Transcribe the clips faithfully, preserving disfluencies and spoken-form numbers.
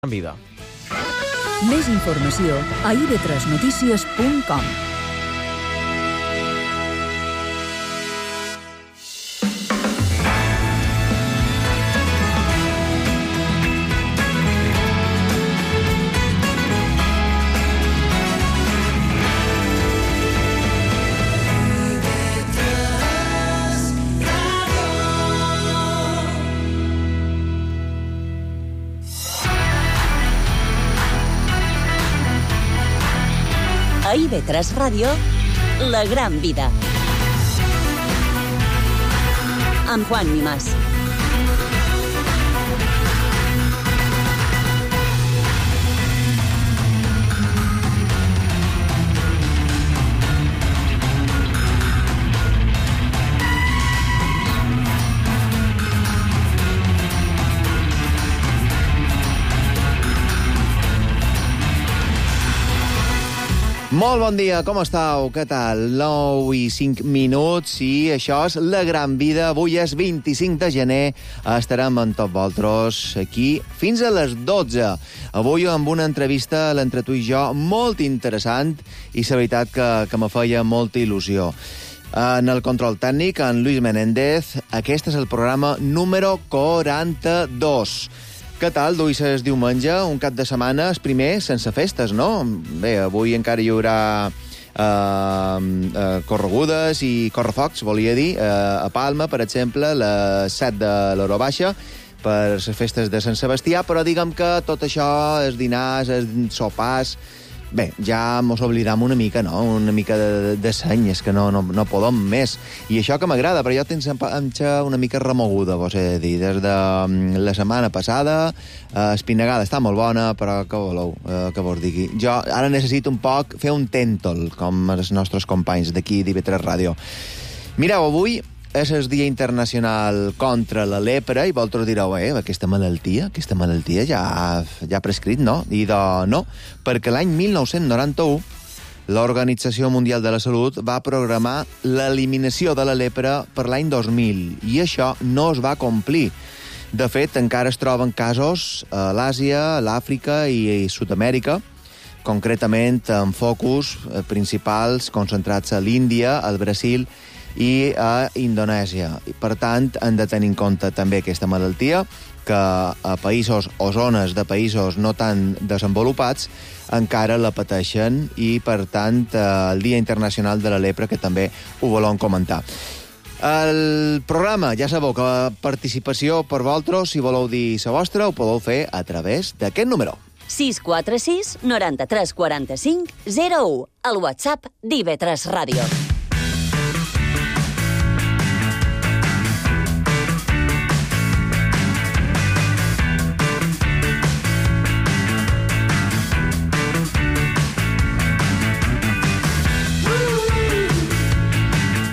en vida. Més informació a i ve tres notícies punt com. A i ve tres Ràdio, La Gran Vida. Amb Juan Nimás. Molt bon dia, com estàu? Què tal? nou i cinc minuts i això és La Gran Vida. Avui és vint-i-cinc de gener. Estarem amb tots vosaltres aquí fins a les dotze. Avui amb una entrevista l'entre tu i jo molt interessant i la veritat que, que me feia molta il·lusió. En el control tècnic, en Luis Menéndez. Aquest és el programa número quaranta-dos. Què tal? D'avui és diumenge, un cap de setmana, el primer sense festes, no? Bé, avui encara hi haurà eh, eh, corregudes i correfocs, volia dir, eh, a Palma, per exemple, les set de l'Hora Baixa, per les festes de Sant Sebastià, però diguem que tot això, els dinars, els sopars... Bé, ja mos oblidam una mica, no? Una mica de, de seny, és que no, no, no podem més. I això que m'agrada, però jo tens una mica remoguda, vos he de dir. Des de la setmana passada, eh, espinagada està molt bona, però què voleu eh, que vos digui? Jo ara necessito un poc fer un tèntol, com els nostres companys d'aquí d'I ve tres Ràdio. Mireu, avui és el Dia Internacional contra la lepra i vosaltres direu, eh, aquesta malaltia, aquesta malaltia ja, ja ha prescrit, no? I de no, perquè l'any mil nou-cents noranta-u l'Organització Mundial de la Salut va programar l'eliminació de la lepra per l'any dos mil i això no es va complir. De fet, encara es troben casos a l'Àsia, l'Àfrica i, i Sud-amèrica, concretament amb focus principals concentrats a l'Índia, al Brasil i a Indonèsia. Per tant, hem de tenir en compte també aquesta malaltia, que a països o zones de països no tan desenvolupats encara la pateixen i, per tant, el Dia Internacional de la Lepra, que també ho volem comentar. El programa, ja sabeu que la participació per vosaltres, si voleu dir la vostra, ho podeu fer a través d'aquest número. sis quatre sis, noranta-tres quaranta-cinc, zero u, el WhatsApp d'I ve tres Ràdio.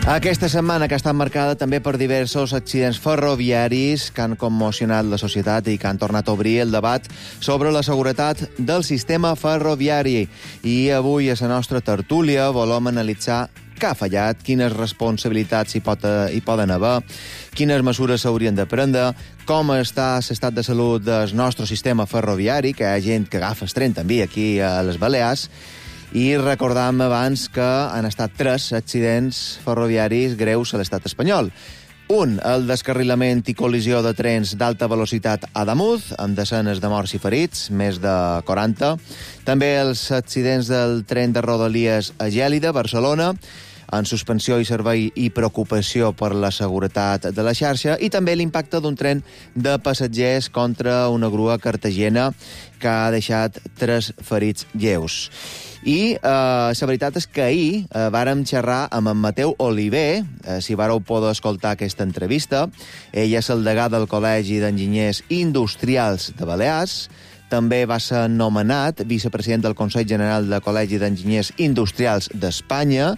Aquesta setmana que ha estat marcada també per diversos accidents ferroviaris que han commocionat la societat i que han tornat a obrir el debat sobre la seguretat del sistema ferroviari. I avui a la nostra tertúlia volem analitzar què ha fallat, quines responsabilitats hi, pot, hi poden haver, quines mesures s'haurien de prendre, com està l'estat de salut del nostre sistema ferroviari, que hi ha gent que agafa el tren també aquí a les Balears. I recordàvem abans que han estat tres accidents ferroviaris greus a l'estat espanyol. Un, el descarrilament i col·lisió de trens d'alta velocitat a Ademuz, amb desenes de morts i ferits, més de quaranta. També els accidents del tren de Rodalies a Gèlida, Barcelona, en suspensió i servei i preocupació per la seguretat de la xarxa, i també l'impacte d'un tren de passatgers contra una grua cartagena que ha deixat tres ferits lleus. I eh, la veritat és que ahir eh, vàrem xerrar amb en Mateu Oliver, eh, si vàreu poder escoltar aquesta entrevista. Ell és el degà del Col·legi d'Enginyers Industrials de Balears, també va ser nomenat vicepresident del Consell General del Col·legi d'Enginyers Industrials d'Espanya.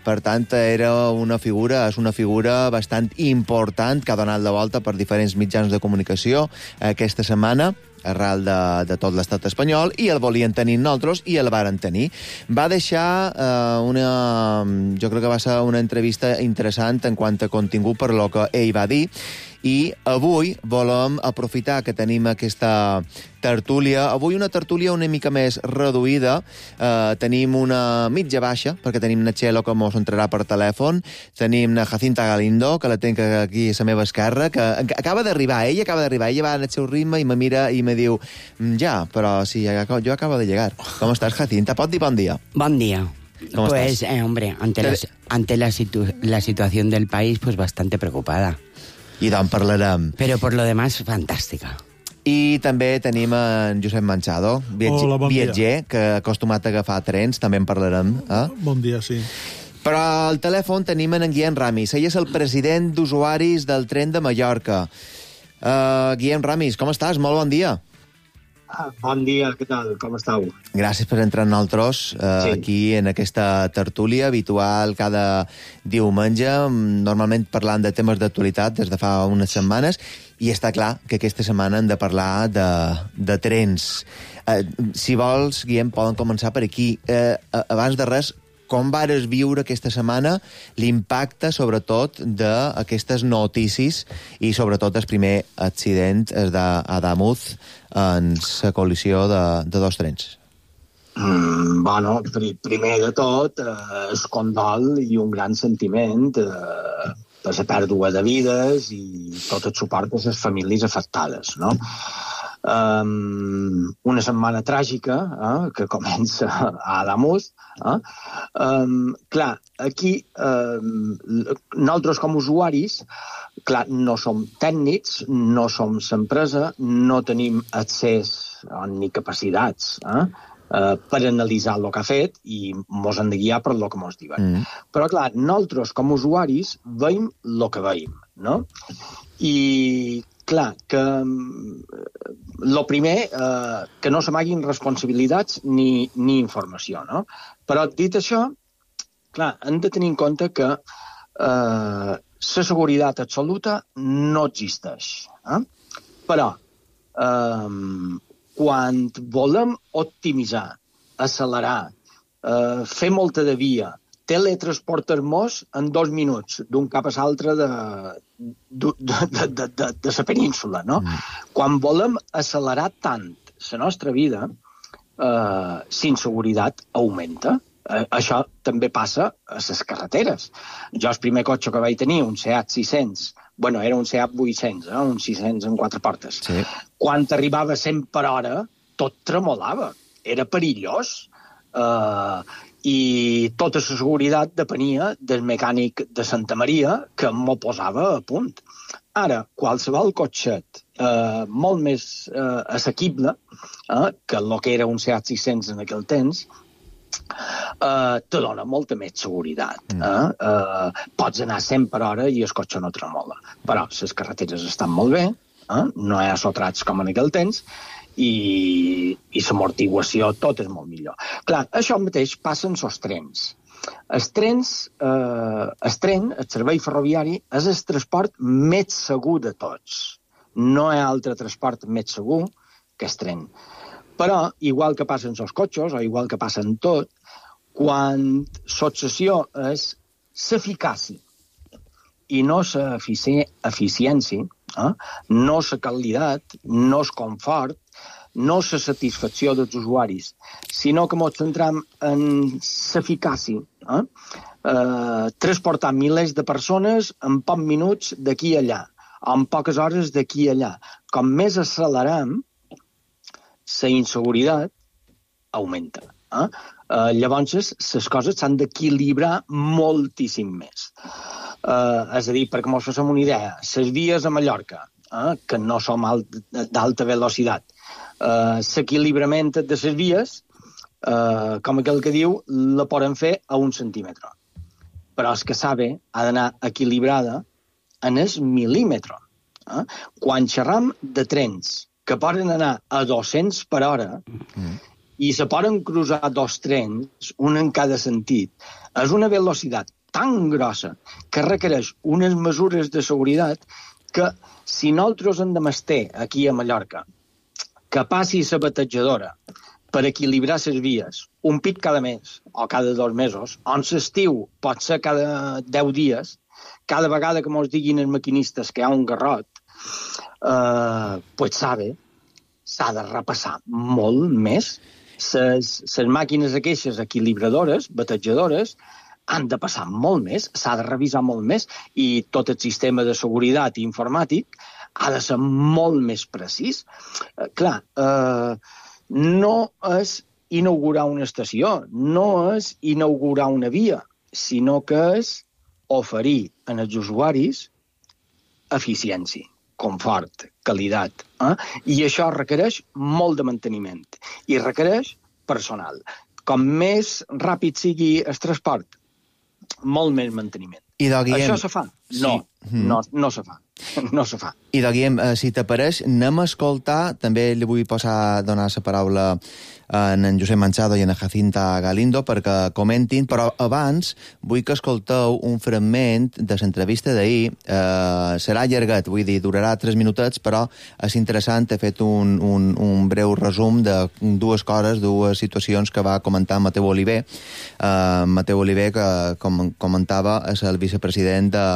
Per tant, era una figura, és una figura bastant important que ha donat la volta per diferents mitjans de comunicació aquesta setmana. arrel de, de tot l'estat espanyol, i el volien tenir nosaltres, i el varen tenir. Va deixar eh, una... Jo crec que va ser una entrevista interessant en quant a contingut per lo que ell va dir, i avui volem aprofitar que tenim aquesta tertúlia. Avui una tertúlia una mica més reduïda. Eh, tenim una mitja baixa, perquè tenim na Txelo que mos entrarà per telèfon, tenim na Jacinta Galindo, que la tenc aquí a la meva esquerra, que acaba d'arribar, ella acaba d'arribar, ella va en el seu ritme i me mira i me diu, ja, però sí, jo acabo de llegar. Com estàs, Jacinta? Pot dir bon dia? Bon dia. ¿Cómo pues, estás? Eh, hombre, ante, la, ante la, situ la situación del país, pues bastante preocupada. I d'on parlarem. Pero por lo demás, fantàstica. I també tenim en Josep Manchado, viatger, Hola, bon viatger que acostumat a agafar trens, també en parlarem. Eh? Bon dia, sí. Però al telèfon tenim en Guillem Ramis. Ell és el president d'usuaris del tren de Mallorca. Uh, Guillem Ramis, com estàs? Molt bon dia. Ah, bon dia, què tal? Com estàu? Gràcies per entrar en nosaltres uh, Sí. aquí en aquesta tertúlia habitual cada diumenge, normalment parlant de temes d'actualitat des de fa unes setmanes, i està clar que aquesta setmana hem de parlar de, de trens. Uh, si vols, Guillem, poden començar per aquí. Uh, abans de res, com vares viure aquesta setmana l'impacte, sobretot, d'aquestes notícies i, sobretot, el primer accident d'Adamuz en la col·lisió de, de dos trens? Mm, bueno, pri primer de tot, eh, es condol i un gran sentiment eh, per la pèrdua de vides i tot el suport a les famílies afectades, no? Um, una setmana tràgica eh, que comença a Adamuz. Eh? Um, clar, aquí um, nosaltres com a usuaris, clar, no som tècnics, no som l'empresa, no tenim accés ni capacitats eh, uh, per analitzar el que ha fet i mos hem de guiar per el que mos diuen. Mm. Però clar, nosaltres com a usuaris veiem el que veiem, no? I clar, que el primer, eh, que no s'amaguin responsabilitats ni, ni informació, no? Però dit això, clar, hem de tenir en compte que eh, la seguretat absoluta no existeix. Eh? Però, eh, quan volem optimitzar, accelerar, eh, fer molta de via, teletransportar-nos en dos minuts d'un cap a l'altre de, de, de, de, de, de la península, no? Mm. Quan volem accelerar tant la nostra vida, eh, l'inseguretat augmenta. Eh, això també passa a les carreteres. Jo el primer cotxe que vaig tenir, un Seat sis cents, bueno, era un Seat vuit-cents, eh, un sis cents en quatre portes. Sí. Quan arribava a cent per hora, tot tremolava. Era perillós. Eh, i tota la seguretat depenia del mecànic de Santa Maria que m'ho posava a punt. Ara, qualsevol cotxet eh, molt més eh, assequible eh, que el que era un Seat sis cents en aquell temps, eh, te dona molta més seguretat. Eh? Eh, pots anar cent per hora i el cotxe no tremola. Però les carreteres estan molt bé, eh? No hi ha sotrats com en aquell temps, i, i l'amortiguació tot és molt millor. Clar, això mateix passa en els trens. Els trens, eh, el tren, el servei ferroviari, és el transport més segur de tots. No hi ha altre transport més segur que el tren. Però, igual que passa en els cotxes, o igual que passa en tot, quan l'obsessió és l'eficàcia i no l'eficiència, eh? No la qualitat, no el confort, no la satisfacció dels usuaris, sinó que ens centram en l'eficàcia. Eh? Eh, transportar milers de persones en pocs minuts d'aquí a allà, en poques hores d'aquí a allà. Com més accelerem, la inseguretat augmenta. Eh? Eh, llavors, les coses s'han d'equilibrar moltíssim més. Eh, és a dir, perquè ens fem una idea, les vies a Mallorca, eh, que no som d'alta velocitat, eh, l'equilibrament de les vies, eh, com aquell que diu, la poden fer a un centímetre. Però el que sabe ha d'anar equilibrada en el mil·límetre. Eh? Quan xerram de trens que poden anar a dos-cents per hora, mm. i se poden cruzar dos trens, un en cada sentit, és una velocitat tan grossa que requereix unes mesures de seguretat que si nosaltres hem de mester aquí a Mallorca que passi la batejadora per equilibrar les vies un pit cada mes o cada dos mesos, on l'estiu pot ser cada deu dies, cada vegada que mos diguin els maquinistes que hi ha un garrot, eh, pues sabe, s'ha de repassar molt més. Les màquines aquestes equilibradores, batejadores, han de passar molt més, s'ha de revisar molt més, i tot el sistema de seguretat informàtic ha de ser molt més precís. Eh, clar, eh, no és inaugurar una estació, no és inaugurar una via, sinó que és oferir als usuaris eficiència, confort, qualitat. Eh? I això requereix molt de manteniment i requereix personal. Com més ràpid sigui el transport, molt més manteniment. I de Guillem... Això se fa? No, sí. no, no se fa. No se fa. I de Guillem, eh, si t'apareix, anem a escoltar, també li vull passar, donar la paraula a en Josep Manchado i a Jacinta Galindo perquè comentin, però abans vull que escolteu un fragment de l'entrevista d'ahir. Eh, serà llargat, vull dir, durarà tres minutets, però és interessant. He fet un, un, un breu resum de dues coses, dues situacions que va comentar Mateu Oliver. Eh, Mateu Oliver, que com comentava, és el vicepresident de,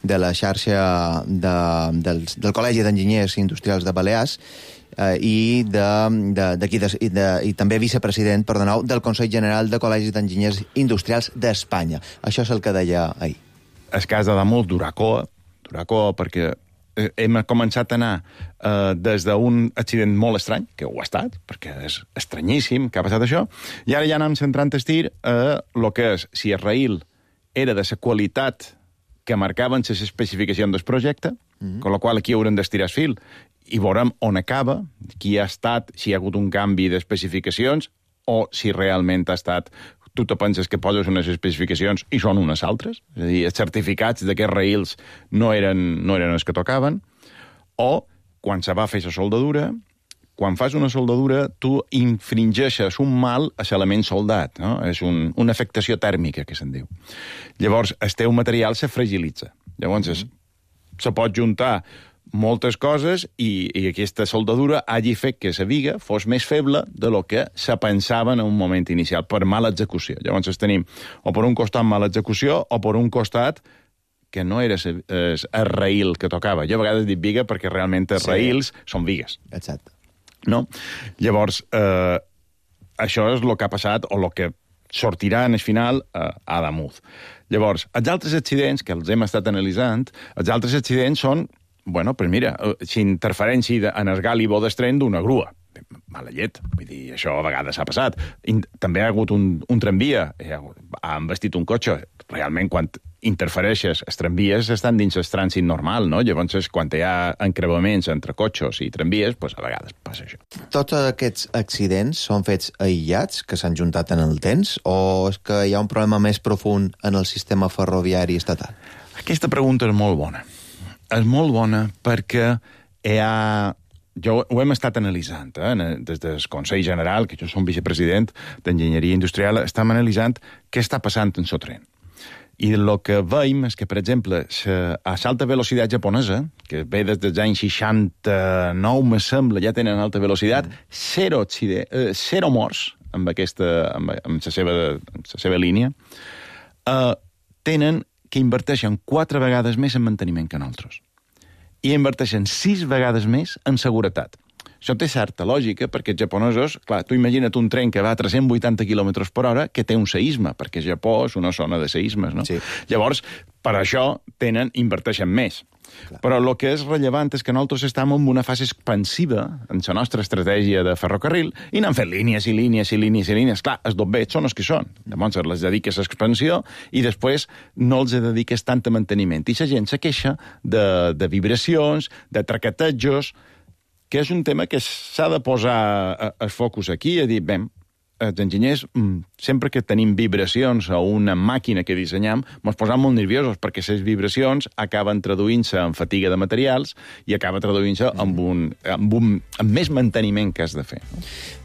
de la xarxa de, del, del Col·legi d'Enginyers Industrials de Balears, eh, i, de, de, de, de, i, de, i també vicepresident, perdoneu, del Consell General de Col·legis d'Enginyers Industrials d'Espanya. Això és el que deia ahir. El cas d'Adamuz, Duracoa, Duracoa, perquè hem començat a anar eh, des d'un accident molt estrany, que ho ha estat, perquè és estranyíssim que ha passat això, i ara ja anem centrant el tir a el que és, si el raïl era de la qualitat que marcaven les especificacions del projecte, mm-hmm. amb la qual aquí haurem d'estirar el fil, i veurem on acaba, qui ha estat, si hi ha hagut un canvi d'especificacions, o si realment ha estat... Tu te penses que poses unes especificacions i són unes altres, és a dir, els certificats d'aquests raïls no eren, no eren els que tocaven, o quan se va fer la soldadura, quan fas una soldadura, tu infringeixes un mal a l'element soldat, no? És un, una afectació tèrmica, que se'n diu. Llavors, el teu material se fragilitza. Llavors, es, se pot juntar moltes coses i, i aquesta soldadura hagi fet que la viga fos més feble de lo que se pensava en un moment inicial, per mala execució. Llavors tenim o per un costat mala execució o per un costat que no era el, el raïl que tocava. Jo a vegades dic viga perquè realment els sí. raïls són vigues. Exacte. No? Llavors, eh, això és el que ha passat o el que sortirà en el final eh, a Adamuz. Llavors, els altres accidents que els hem estat analitzant, els altres accidents són bueno, doncs mira, si interferència en el gali bo d'estren d'una grua. Mala llet, vull dir, això a vegades s'ha passat. També ha hagut un, un tramvia, ha investit un cotxe. Realment, quan interfereixes, els tramvies estan dins el trànsit normal, no? Llavors, quan hi ha encreuaments entre cotxes i tramvies, doncs a vegades passa això. Tots aquests accidents són fets aïllats, que s'han juntat en el temps, o és que hi ha un problema més profund en el sistema ferroviari estatal? Aquesta pregunta és molt bona. És molt bona perquè hi ha... Jo ho hem estat analitzant, eh? Des del Consell General, que jo som vicepresident d'Enginyeria Industrial, estem analitzant què està passant en el tren. I el que veiem és que, per exemple, a l'alta velocitat japonesa, que ve des dels anys seixanta-nou, me sembla, ja tenen alta velocitat, mm. zero, eh, zero morts amb, aquesta, amb, amb, la seva, amb la seva línia, eh, tenen que inverteixen quatre vegades més en manteniment que nosaltres. I inverteixen sis vegades més en seguretat. Això té certa lògica, perquè els japonesos... Clar, tu imagina't un tren que va a tres-cents vuitanta quilòmetres per hora que té un seisme, perquè Japó és una zona de seismes, no? Sí. Llavors, per això tenen, inverteixen més. Clar. Però el que és rellevant és que nosaltres estem en una fase expansiva en la nostra estratègia de ferrocarril i n'han fet línies i línies i línies i línies. Clar, els dobbets són els que són. Llavors les dediques a expansió i després no els dediques tant a manteniment. I la gent se queixa de, de vibracions, de traquetejos, que és un tema que s'ha de posar el focus aquí i dir, bé, els enginyers, sempre que tenim vibracions a una màquina que dissenyam, ens posam molt nerviosos, perquè les vibracions acaben traduint-se en fatiga de materials i acaba traduint-se en, un, en, un, en més manteniment que has de fer.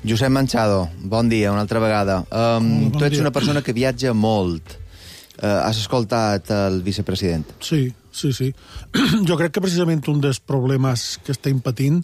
Josep Manchado, bon dia, una altra vegada. Um, bon tu ets dia. Una persona que viatja molt. Uh, has escoltat el vicepresident? Sí, sí, sí. Jo crec que precisament un dels problemes que estem patint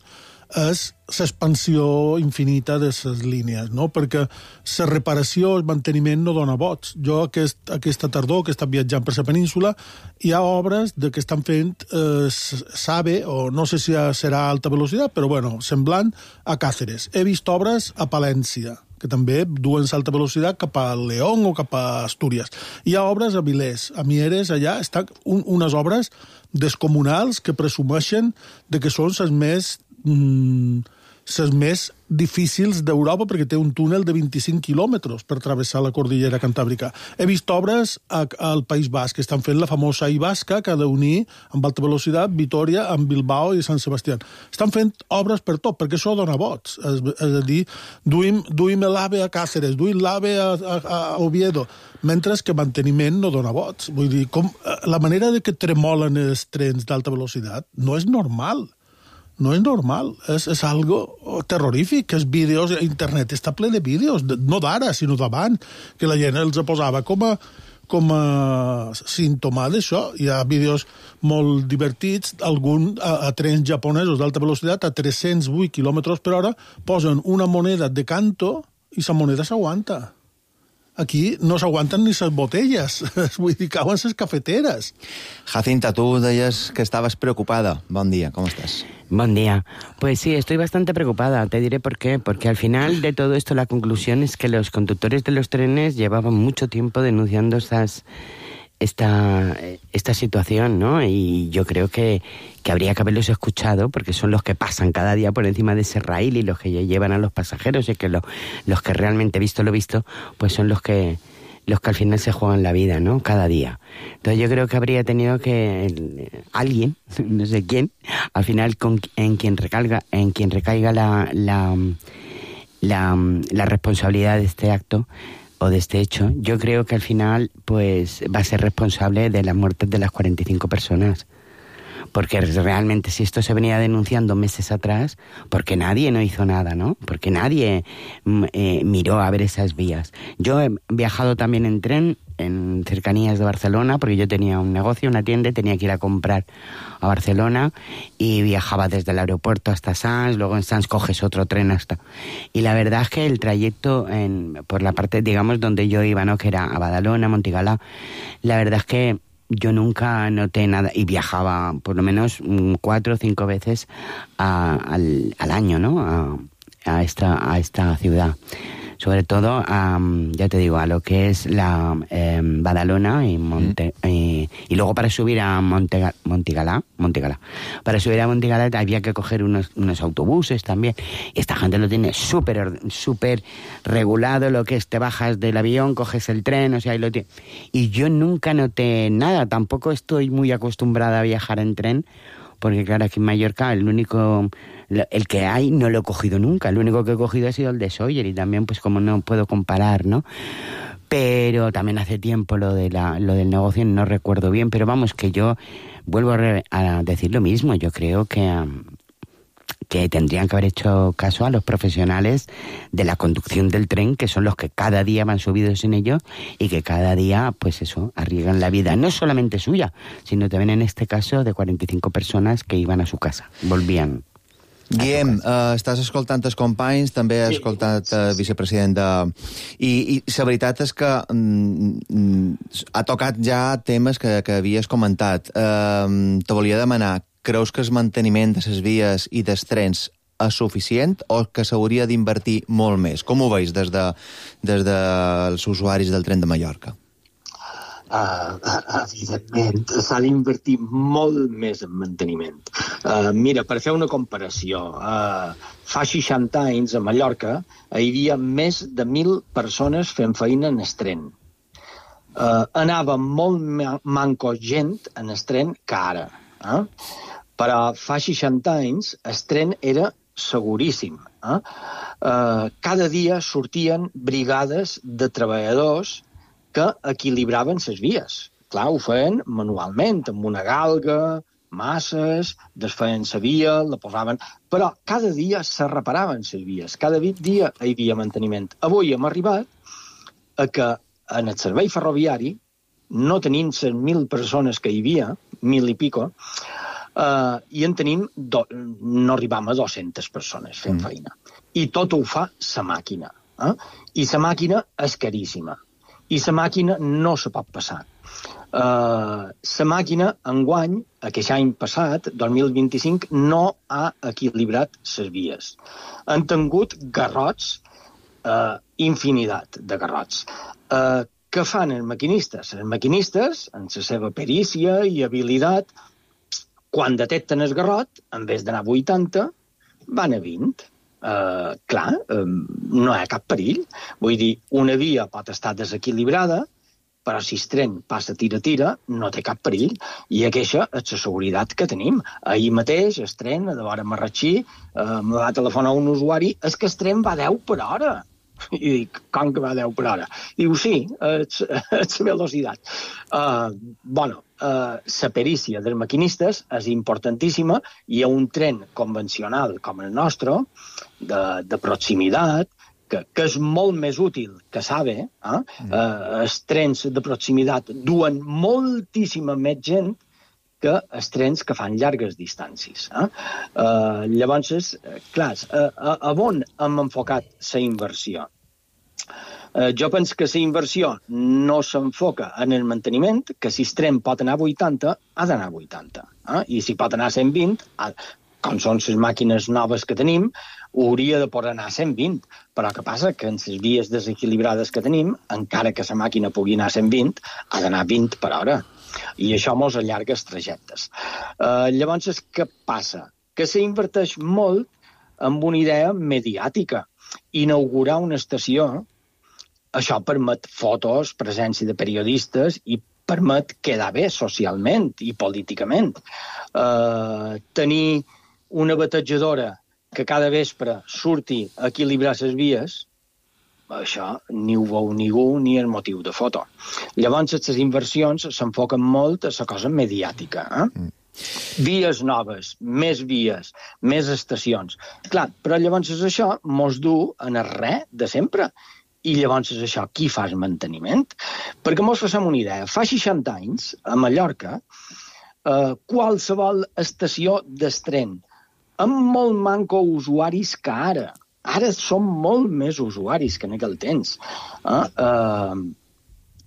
és l'expansió infinita de les línies, no? Perquè la reparació, el manteniment no dona vots. Jo aquest, aquesta tardor que he estat viatjant per la península, hi ha obres de que estan fent eh, SAVE, o no sé si serà alta velocitat, però bueno, semblant a Càceres. He vist obres a Palència, que també duen alta velocitat cap a León o cap a Astúries. Hi ha obres a Vilés, a Mieres, allà estan un, unes obres descomunals que presumeixen de que són les més mm, les més difícils d'Europa, perquè té un túnel de vint-i-cinc quilòmetres per travessar la cordillera cantàbrica. He vist obres a, al País Basc, que estan fent la famosa I Basca, que ha d'unir amb alta velocitat Vitoria amb Bilbao i Sant Sebastián. Estan fent obres per tot, perquè això dona vots. És, és a dir, duim, duim l'AVE a Càceres, duim l'AVE a, a, a Oviedo, mentre que manteniment no dona vots. Vull dir, com, la manera de que tremolen els trens d'alta velocitat no és normal. No és normal, és, és algo terrorífic, que els vídeos, internet està ple de vídeos, no d'ara, sinó d'abans, que la gent els posava com a, com a símptoma d'això. Hi ha vídeos molt divertits, algun a, a trens japonesos d'alta velocitat a tres-cents vuit quilòmetres per hora posen una moneda de canto i la moneda s'aguanta. Aquí no s'aguanten ni les botelles, vull dir, cauen les cafeteres. Jacinta, tú deies que estabas preocupada. Bon día, ¿cómo estás? Buen día. Pues sí, estoy bastante preocupada. Te diré por qué. Porque al final de todo esto la conclusión es que los conductores de los trenes llevaban mucho tiempo denunciando esas, esta, esta situación, ¿no? Y yo creo que, que habría que haberlos escuchado, porque son los que pasan cada día por encima de ese raíl y los que llevan a los pasajeros, y que lo, los que realmente, visto lo visto, pues son los que los que al final se juegan la vida, ¿no? Cada día. Entonces yo creo que habría tenido que el, alguien, no sé quién, al final con, en quien recaiga, en quien recaiga la, la, la, la responsabilidad de este acto o de este hecho, yo creo que al final pues va a ser responsable de las muertes de las cuarenta y cinco personas. Porque realmente si esto se venía denunciando meses atrás, porque nadie no hizo nada, ¿no? Porque nadie eh, miró a ver esas vías. Yo he viajado también en tren en cercanías de Barcelona, porque yo tenía un negocio, una tienda, y tenía que ir a comprar a Barcelona, y viajaba desde el aeropuerto hasta Sants, luego en Sants coges otro tren hasta... Y la verdad es que el trayecto en, por la parte, digamos, donde yo iba, ¿no? Que era a Badalona, Montigalá, la verdad es que yo nunca noté nada, y viajaba por lo menos cuatro o cinco veces a, al, al año, ¿no? A, a, esta, a esta ciudad. Sobre todo, a, ya te digo, a lo que es la eh, Badalona y Monte, mm. eh, y luego para subir a Montega, Montigalá, Montigalá. Para subir a Montigalá había que coger unos, unos autobuses también. Y esta gente lo tiene súper súper regulado, lo que es, te bajas del avión, coges el tren, o sea, y lo tiene. Y yo nunca noté nada, tampoco estoy muy acostumbrada a viajar en tren, porque claro, aquí en Mallorca el único, el que hay no lo he cogido nunca, el único que he cogido ha sido el de Sóller, y también pues como no puedo comparar, ¿no? Pero también hace tiempo lo de la, lo del negocio no recuerdo bien, pero vamos, que yo vuelvo a, re, a decir lo mismo, yo creo que... Um, que tendrían que haber hecho caso a los profesionales de la conducción del tren, que son los que cada día van subidos en ello y que cada día, pues eso, arriesgan la vida, no solamente suya, sino también en este caso de cuarenta y cinco personas que iban a su casa, volvían. Guillem, uh, estàs escoltant els companys, també has sí, escoltat el uh, sí, vicepresident de... I, i la veritat és que mm, ha tocat ja temes que, que havies comentat. Uh, te volia demanar, creus que el manteniment de les vies i dels trens és suficient o que s'hauria d'invertir molt més? Com ho veus des, de, des dels usuaris del tren de Mallorca? Uh, evidentment, s'ha d'invertir molt més en manteniment. Uh, mira, per fer una comparació, uh, fa seixanta anys a Mallorca hi havia més de mil persones fent feina en el tren. Uh, anava molt manco gent en el tren que ara. Eh? Però fa seixanta anys el tren era seguríssim. Eh? Uh, cada dia sortien brigades de treballadors que equilibraven les vies. Clar, ho feien manualment, amb una galga, masses, desfeien la via, la posaven... Però cada dia se reparaven les vies, cada dia hi havia manteniment. Avui hem arribat a que en el servei ferroviari, no tenint les mil persones que hi havia, mil i pico, Uh, I en tenim, do, no arribam a dues-centes persones fent mm. feina. I tot ho fa la màquina. Eh? I la màquina és caríssima. I la màquina no se pot passar. La uh, màquina, enguany, aquest any passat, dos mil vint-i-cinc, no ha equilibrat les vies. Han tingut garrots, uh, infinitat de garrots. Uh, què fan els maquinistes? Els maquinistes, en la seva perícia i habilitat, quan detecten el garrot, en vez d'anar a vuitanta, van a vint. Uh, clar, um, no hi ha cap perill. Vull dir, una via pot estar desequilibrada, però si el tren passa tira-tira, no té cap perill. I aquesta és la seguretat que tenim. Ahir mateix, el tren, a de vora Marratxí, uh, me va telefonar un usuari, és que el tren va deu per hora. I dic, com que va deu per hora? Diu, sí, és la velocitat. Uh, bueno, uh, la perícia dels maquinistes és importantíssima i a un tren convencional com el nostre, de, de proximitat, que, que és molt més útil que sabe, eh? Mm. Uh, els trens de proximitat duen moltíssima més gent que els trens que fan llargues distàncies. Eh? Uh, llavors, clar, uh, a, a on hem enfocat la inversió? Uh, jo penso que la inversió no s'enfoca en el manteniment, que si el tren pot anar a vuitanta, ha d'anar a vuitanta. Eh? I si pot anar a cent vint, ha, com són les màquines noves que tenim, hauria de poder anar a cent vint. Però què passa? Que en les vies desequilibrades que tenim, encara que la màquina pugui anar a cent vint, ha d'anar a vint per hora. I això mos allarga els trajectes. Uh, llavors, què passa? Que s'inverteix molt en una idea mediàtica. Inaugurar una estació, això permet fotos, presència de periodistes i permet quedar bé socialment i políticament. Uh, tenir una batejadora que cada vespre surti a equilibrar les vies, això ni ho veu ningú ni el motiu de foto. Llavors, les inversions s'enfoquen molt a la cosa mediàtica. Eh? Mm. Vies noves, més vies, més estacions. Clar, però llavors és això mos du en el res de sempre. I llavors és això, qui fa el manteniment? Perquè mos facem una idea. Fa seixanta anys, a Mallorca, eh, qualsevol estació d'estren amb molt manco usuaris que ara. Ara som molt més usuaris que en aquell temps. Eh? Eh,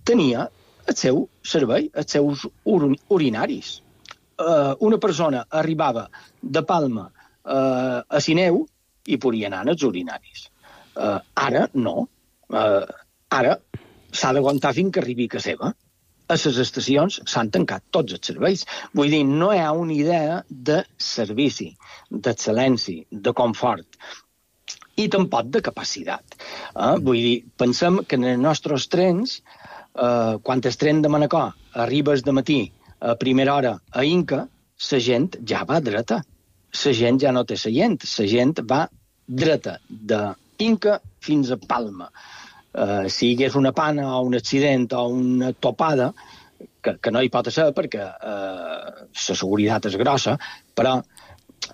tenia el seu servei, els seus ur urinaris. Eh, una persona arribava de Palma eh, a Sineu i podia anar als urinaris. Eh, ara no. Eh, ara s'ha d'aguantar fins que arribi a casa seva. A les estacions s'han tancat tots els serveis. Vull dir, no hi ha una idea de servici, d'excel·lència, de confort i tampoc de capacitat. Eh? Vull dir, pensem que en els nostres trens, eh, quan el tren de Manacor arribes de matí a primera hora a Inca, la gent ja va dreta. La gent ja no té seient, la gent va dreta de Inca fins a Palma. Uh, si hi hagués una pana o un accident o una topada, que, que no hi pot ser perquè uh, la seguretat és grossa, però,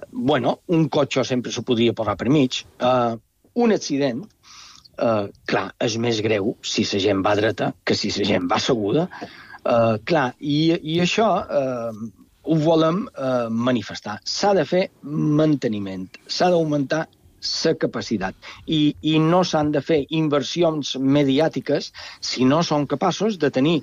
bueno, un cotxe sempre se podria posar per mig. Uh, un accident, uh, clar, és més greu si la gent va dreta que si la gent va asseguda. Uh, clar, i, i això uh, ho volem uh, manifestar. S'ha de fer manteniment, s'ha d'augmentar la capacitat. I, i no s'han de fer inversions mediàtiques si no són capaços de tenir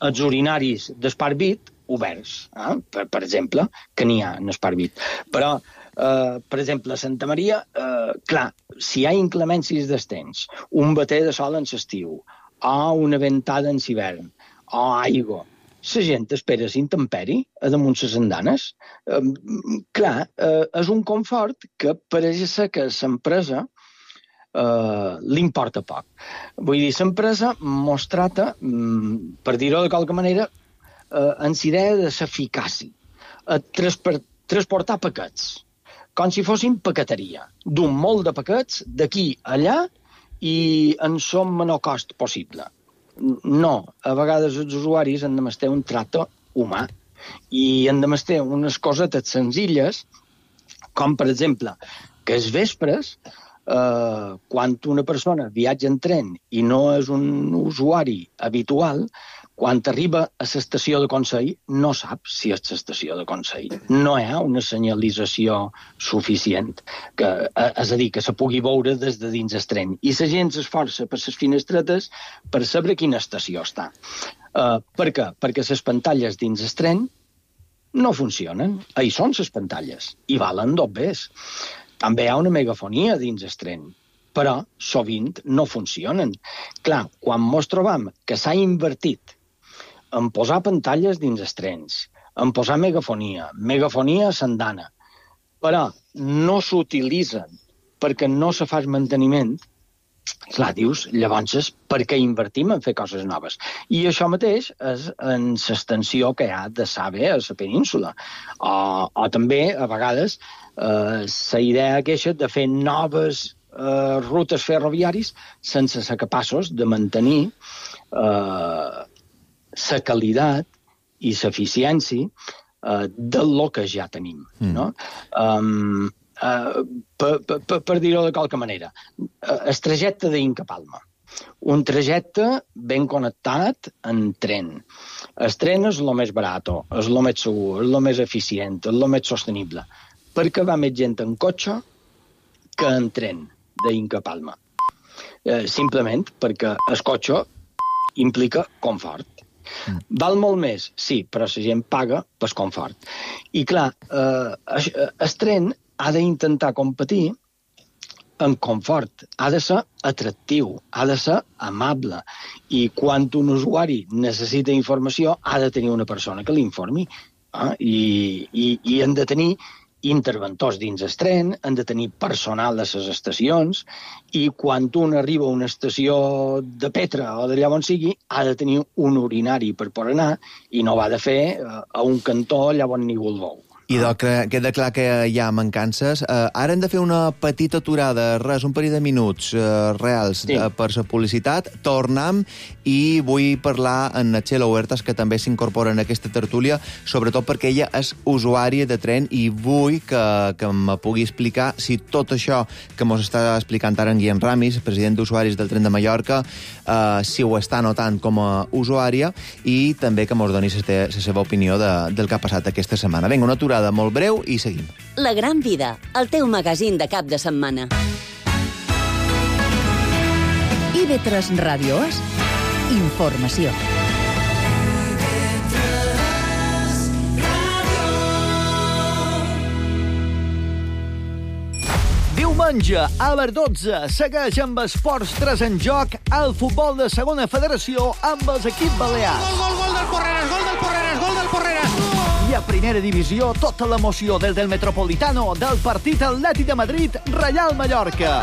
els urinaris d'Esparvit oberts, eh? per, per exemple, que n'hi ha en Esparvit. Però, eh, per exemple, a Santa Maria, eh, clar, si hi ha inclemències d'estens, un bater de sol en l'estiu, o una ventada en l'hivern, o aigua, la gent espera l'intemperi a damunt les andanes. Eh, clar, eh, és un confort que pareix ser que l'empresa eh, li importa poc. Vull dir, l'empresa mos trata, mm, per dir-ho de qualque manera, eh, en l'idea de l'eficàcia, a transportar paquets, com si fossin paqueteria, d'un molt de paquets d'aquí a allà i en son menor cost possible. No, a vegades els usuaris han de mestre un tracte humà i han de mestre unes cosetes senzilles, com per exemple que els vespres eh, quan una persona viatja en tren i no és un usuari habitual, quan arriba a l'estació de Consell no sap si és l'estació de Consell. No hi ha una senyalització suficient, que, és a dir, que se pugui veure des de dins el tren. I la gent s'esforça per les finestretes per saber quina estació està. Uh, per què? Perquè les pantalles dins el tren no funcionen. Ahí són les pantalles i valen dos bes. També hi ha una megafonia dins el tren, però sovint no funcionen. Clar, quan mos trobam que s'ha invertit en posar pantalles dins els trens, en posar megafonia, megafonia a Sandana, però no s'utilitzen perquè no se fa manteniment, clar, dius, llavors és per què invertim en fer coses noves. I això mateix és en l'extensió que hi ha de saber a la península. O, o també, a vegades, eh, la idea aquesta de fer noves eh, rutes ferroviaris sense ser capaços de mantenir eh, la qualitat i l'eficiència uh, del que ja tenim. Mm. No? Um, uh, per per, per dir-ho de qualque manera, uh, el trajecte d'Inca Palma. Un trajecte ben connectat en tren. El tren és el més barat, és el més segur, és el més eficient, és el més sostenible. Perquè va més gent en cotxe que en tren d'Inca Palma. Uh, simplement perquè el cotxe implica confort. Mm. Val molt més, sí, però la gent paga per confort. I clar, eh, el tren ha d'intentar competir en confort, ha de ser atractiu, ha de ser amable, i quan un usuari necessita informació ha de tenir una persona que l'informi, eh? I, i, i han de tenir interventors dins el tren, han de tenir personal a les estacions, i quan un arriba a una estació de Petra o d'allà on sigui, ha de tenir un urinari per poder anar i no va de fer a un cantó allà on ningú el veu. I doncs queda clar que hi ha mancances. Uh, ara hem de fer una petita aturada, res, un parell de minuts uh, reals sí. uh, per la publicitat. Tornem i vull parlar amb Txelo Huertas, que també s'incorpora en aquesta tertúlia, sobretot perquè ella és usuària de tren i vull que, que me pugui explicar si tot això que mos està explicant ara en Guillem Ramis, president d'usuaris del tren de Mallorca, uh, si ho està notant com a usuària, i també que mos doni la seva opinió de, del que ha passat aquesta setmana. Vinga, una aturada molt breu i seguim. La Gran Vida, el teu magazín de cap de setmana. I ve tres Ràdios, informació. Diumenge, a les dotze, segueix amb Esports tres en joc el futbol de segona federació amb els equips balears. Gol, gol, gol del Porreres, gol del Porreres, gol del Porreres! I a primera divisió, tota l'emoció des del Metropolitano del partit Atlètic de Madrid, Reial Mallorca.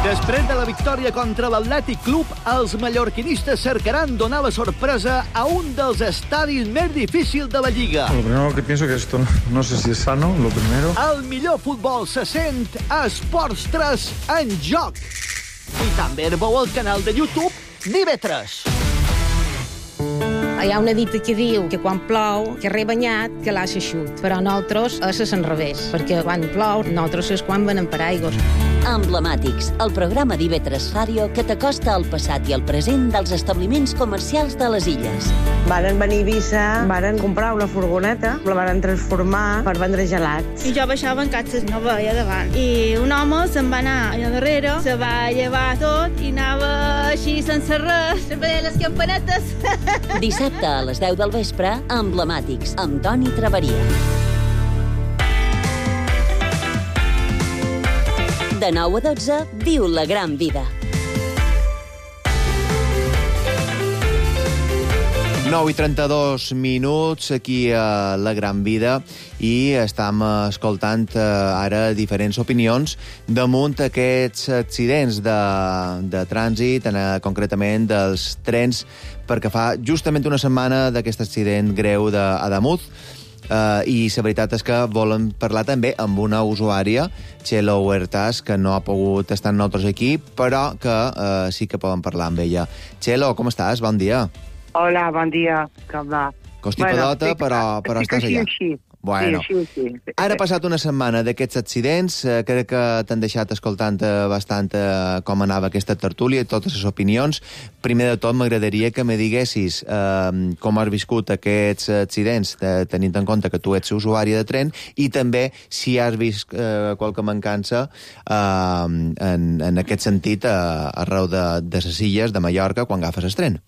Després de la victòria contra l'Atlètic Club, els mallorquinistes cercaran donar la sorpresa a un dels estadis més difícils de la Lliga. Lo primero que pienso que esto no sé si es sano, lo primero. El millor futbol se sent a Esports tres en joc. I també veu al canal de YouTube d'I V tres. Hi ha una dita que diu que quan plou, que rebanyat, que l'ha xut. Però nosaltres és a l'enrevés, perquè quan plou, nosaltres és quan venen per aigües. Emblemàtics, el programa d'I V tres Ràdio que t'acosta al passat i al present dels establiments comercials de les illes. Varen venir a Eivissa, varen comprar una furgoneta, la varen transformar per vendre gelats. I jo baixava en catxes, no veia davant. I un home se'n va anar allà darrere, se va llevar tot i anava així sense res, sempre les campanetes. Dissabte a les deu del vespre, Emblemàtics, amb Toni Traveria. De nou a dotze, viu la gran vida. nou i trenta-dos minuts aquí a La Gran Vida i estem escoltant ara diferents opinions damunt aquests accidents de, de trànsit, concretament dels trens, perquè fa justament una setmana d'aquest accident greu d'Ademuz. Uh, i la veritat és que volem parlar també amb una usuària, Txelo Huertas, que no ha pogut estar amb nosaltres aquí, però que uh, sí que podem parlar amb ella. Txelo, com estàs? Bon dia. Hola, bon dia. Com va? Constipadota, bueno, però, però estàs allà. Així. Bueno, sí, sí, sí. Ara ha passat una setmana d'aquests accidents, eh, crec que t'han deixat escoltant eh, bastant eh, com anava aquesta tertúlia i totes les opinions. Primer de tot, m'agradaria que me diguessis eh, com has viscut aquests accidents, eh, tenint en compte que tu ets usuari de tren, i també si has vist eh, qualque mancança eh, en, en aquest sentit eh, arreu de, de les illes de Mallorca quan agafes el tren.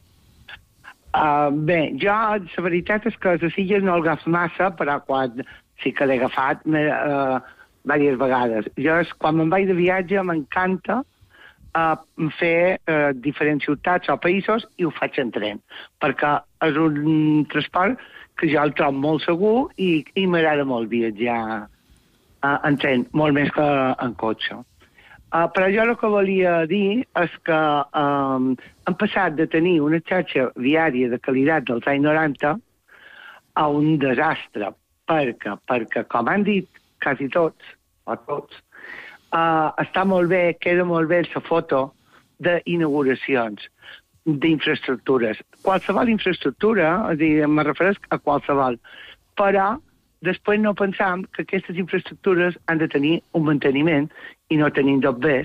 Uh, bé, jo, la veritat és que a les illes no el agafo massa, però quan sí que l'he agafat uh, diverses vegades. Jo, quan me'n vaig de viatge, m'encanta uh, fer uh, diferents ciutats o països i ho faig en tren, perquè és un transport que jo el trobo molt segur i, i m'agrada molt viatjar uh, en tren, molt més que en cotxe. Uh, però jo el que volia dir és que um, hem passat de tenir una xarxa viària de qualitat dels anys noranta a un desastre, perquè, perquè com han dit quasi tots, o tots, uh, està molt bé, queda molt bé la foto d'inauguracions, d'infraestructures. Qualsevol infraestructura, és a dir, me refereix a qualsevol, però després no pensam que aquestes infraestructures han de tenir un manteniment i no tenim tot bé,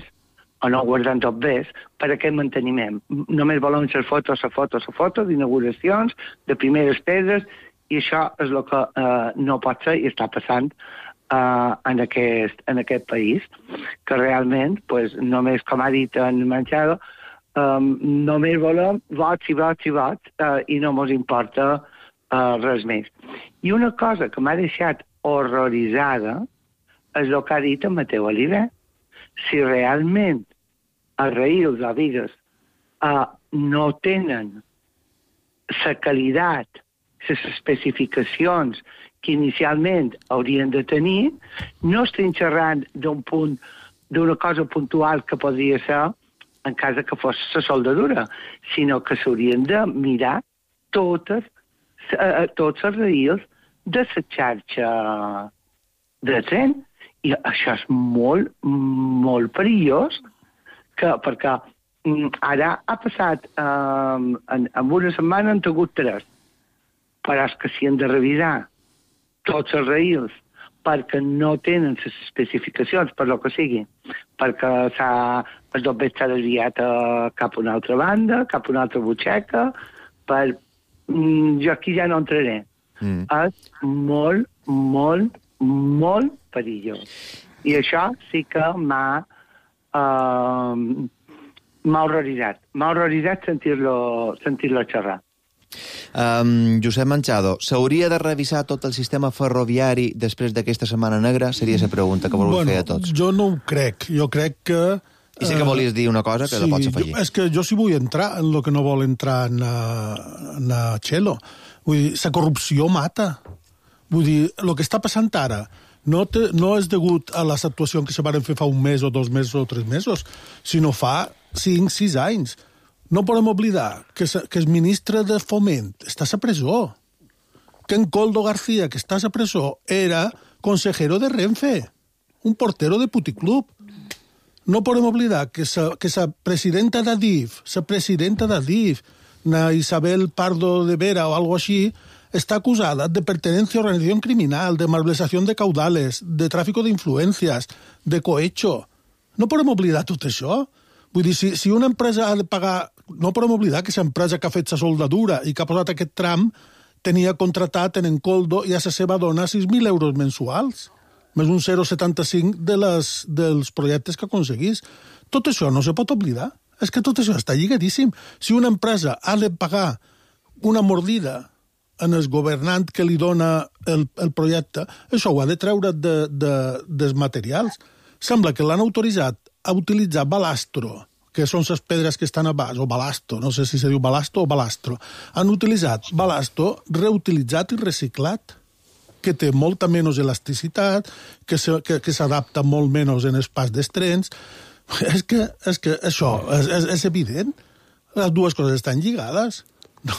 o no guardant tot bé, per aquest manteniment. Només volem ser fotos, a fotos, a fotos, d'inauguracions, de primeres pedres, i això és el que eh, no pot ser i està passant eh, en, aquest, en aquest país, que realment, pues, només, com ha dit en Manchado, eh, només volem vots i vots i vots eh, i no ens importa Uh, res més. I una cosa que m'ha deixat horroritzada és el que ha dit en Mateu Oliver. Si realment els raïls o vigues uh, no tenen la qualitat, les especificacions que inicialment haurien de tenir, no estem xerrant d'un punt, d'una cosa puntual que podria ser en cas que fos la soldadura, sinó que s'haurien de mirar totes a tots els raïls de la xarxa de tren. I això és molt, molt perillós, que, perquè ara ha passat, um, en, en una setmana han tingut tres, però és que s'hi han de revisar tots els raïls perquè no tenen les especificacions, per lo que sigui, perquè el dobbet s'ha desviat a, cap a una altra banda, cap a una altra butxaca, per Mm, jo aquí ja no entraré. Mm. És molt, molt, molt perillós. I això sí que m'ha uh, m'ha horroritzat. M'ha horroritzat sentir-lo sentir-lo xerrar. Um, Josep Manchado, s'hauria de revisar tot el sistema ferroviari després d'aquesta Setmana Negra? Seria la pregunta que voleu bueno, fer a tots. Jo no ho crec. Jo crec que I sé que volies dir una cosa que sí, la pots afegir. Jo, és que jo sí vull entrar en el que no vol entrar en, en Txelo. Vull dir, la corrupció mata. Vull dir, el que està passant ara no, te, no és degut a les actuacions que se van fer fa un mes o dos mesos o tres mesos, sinó fa cinc, sis anys. No podem oblidar que, que el ministre de Foment està a presó. Que en Coldo García, que està a presó, era consejero de Renfe, un portero de puticlub. No podem oblidar que la que presidenta d'Adif, la presidenta d'Adif, na Isabel Pardo de Vera o algo així, està acusada de pertenencia a organización criminal, de malversación de caudales, de tráfico de influencias, de cohecho. No podem oblidar tot això. Vull dir, si, si una empresa ha de pagar... No podem oblidar que l'empresa que ha fet la soldadura i que ha posat aquest tram tenia contratat en Encoldo i a la seva dona sis mil euros mensuals, més un zero coma setanta-cinc de les, dels projectes que aconseguís. Tot això no se pot oblidar. És que tot això està lligadíssim. Si una empresa ha de pagar una mordida en el governant que li dona el, el projecte, això ho ha de treure de, de, dels materials. Sembla que l'han autoritzat a utilitzar balastro, que són les pedres que estan a baix, o balasto, no sé si se diu balasto o balastro. Han utilitzat balasto reutilitzat i reciclat, que té molta menys elasticitat, que, se, que, que s'adapta molt menys en els pas dels trens. És que, és que això és, és, és evident. Les dues coses estan lligades. No.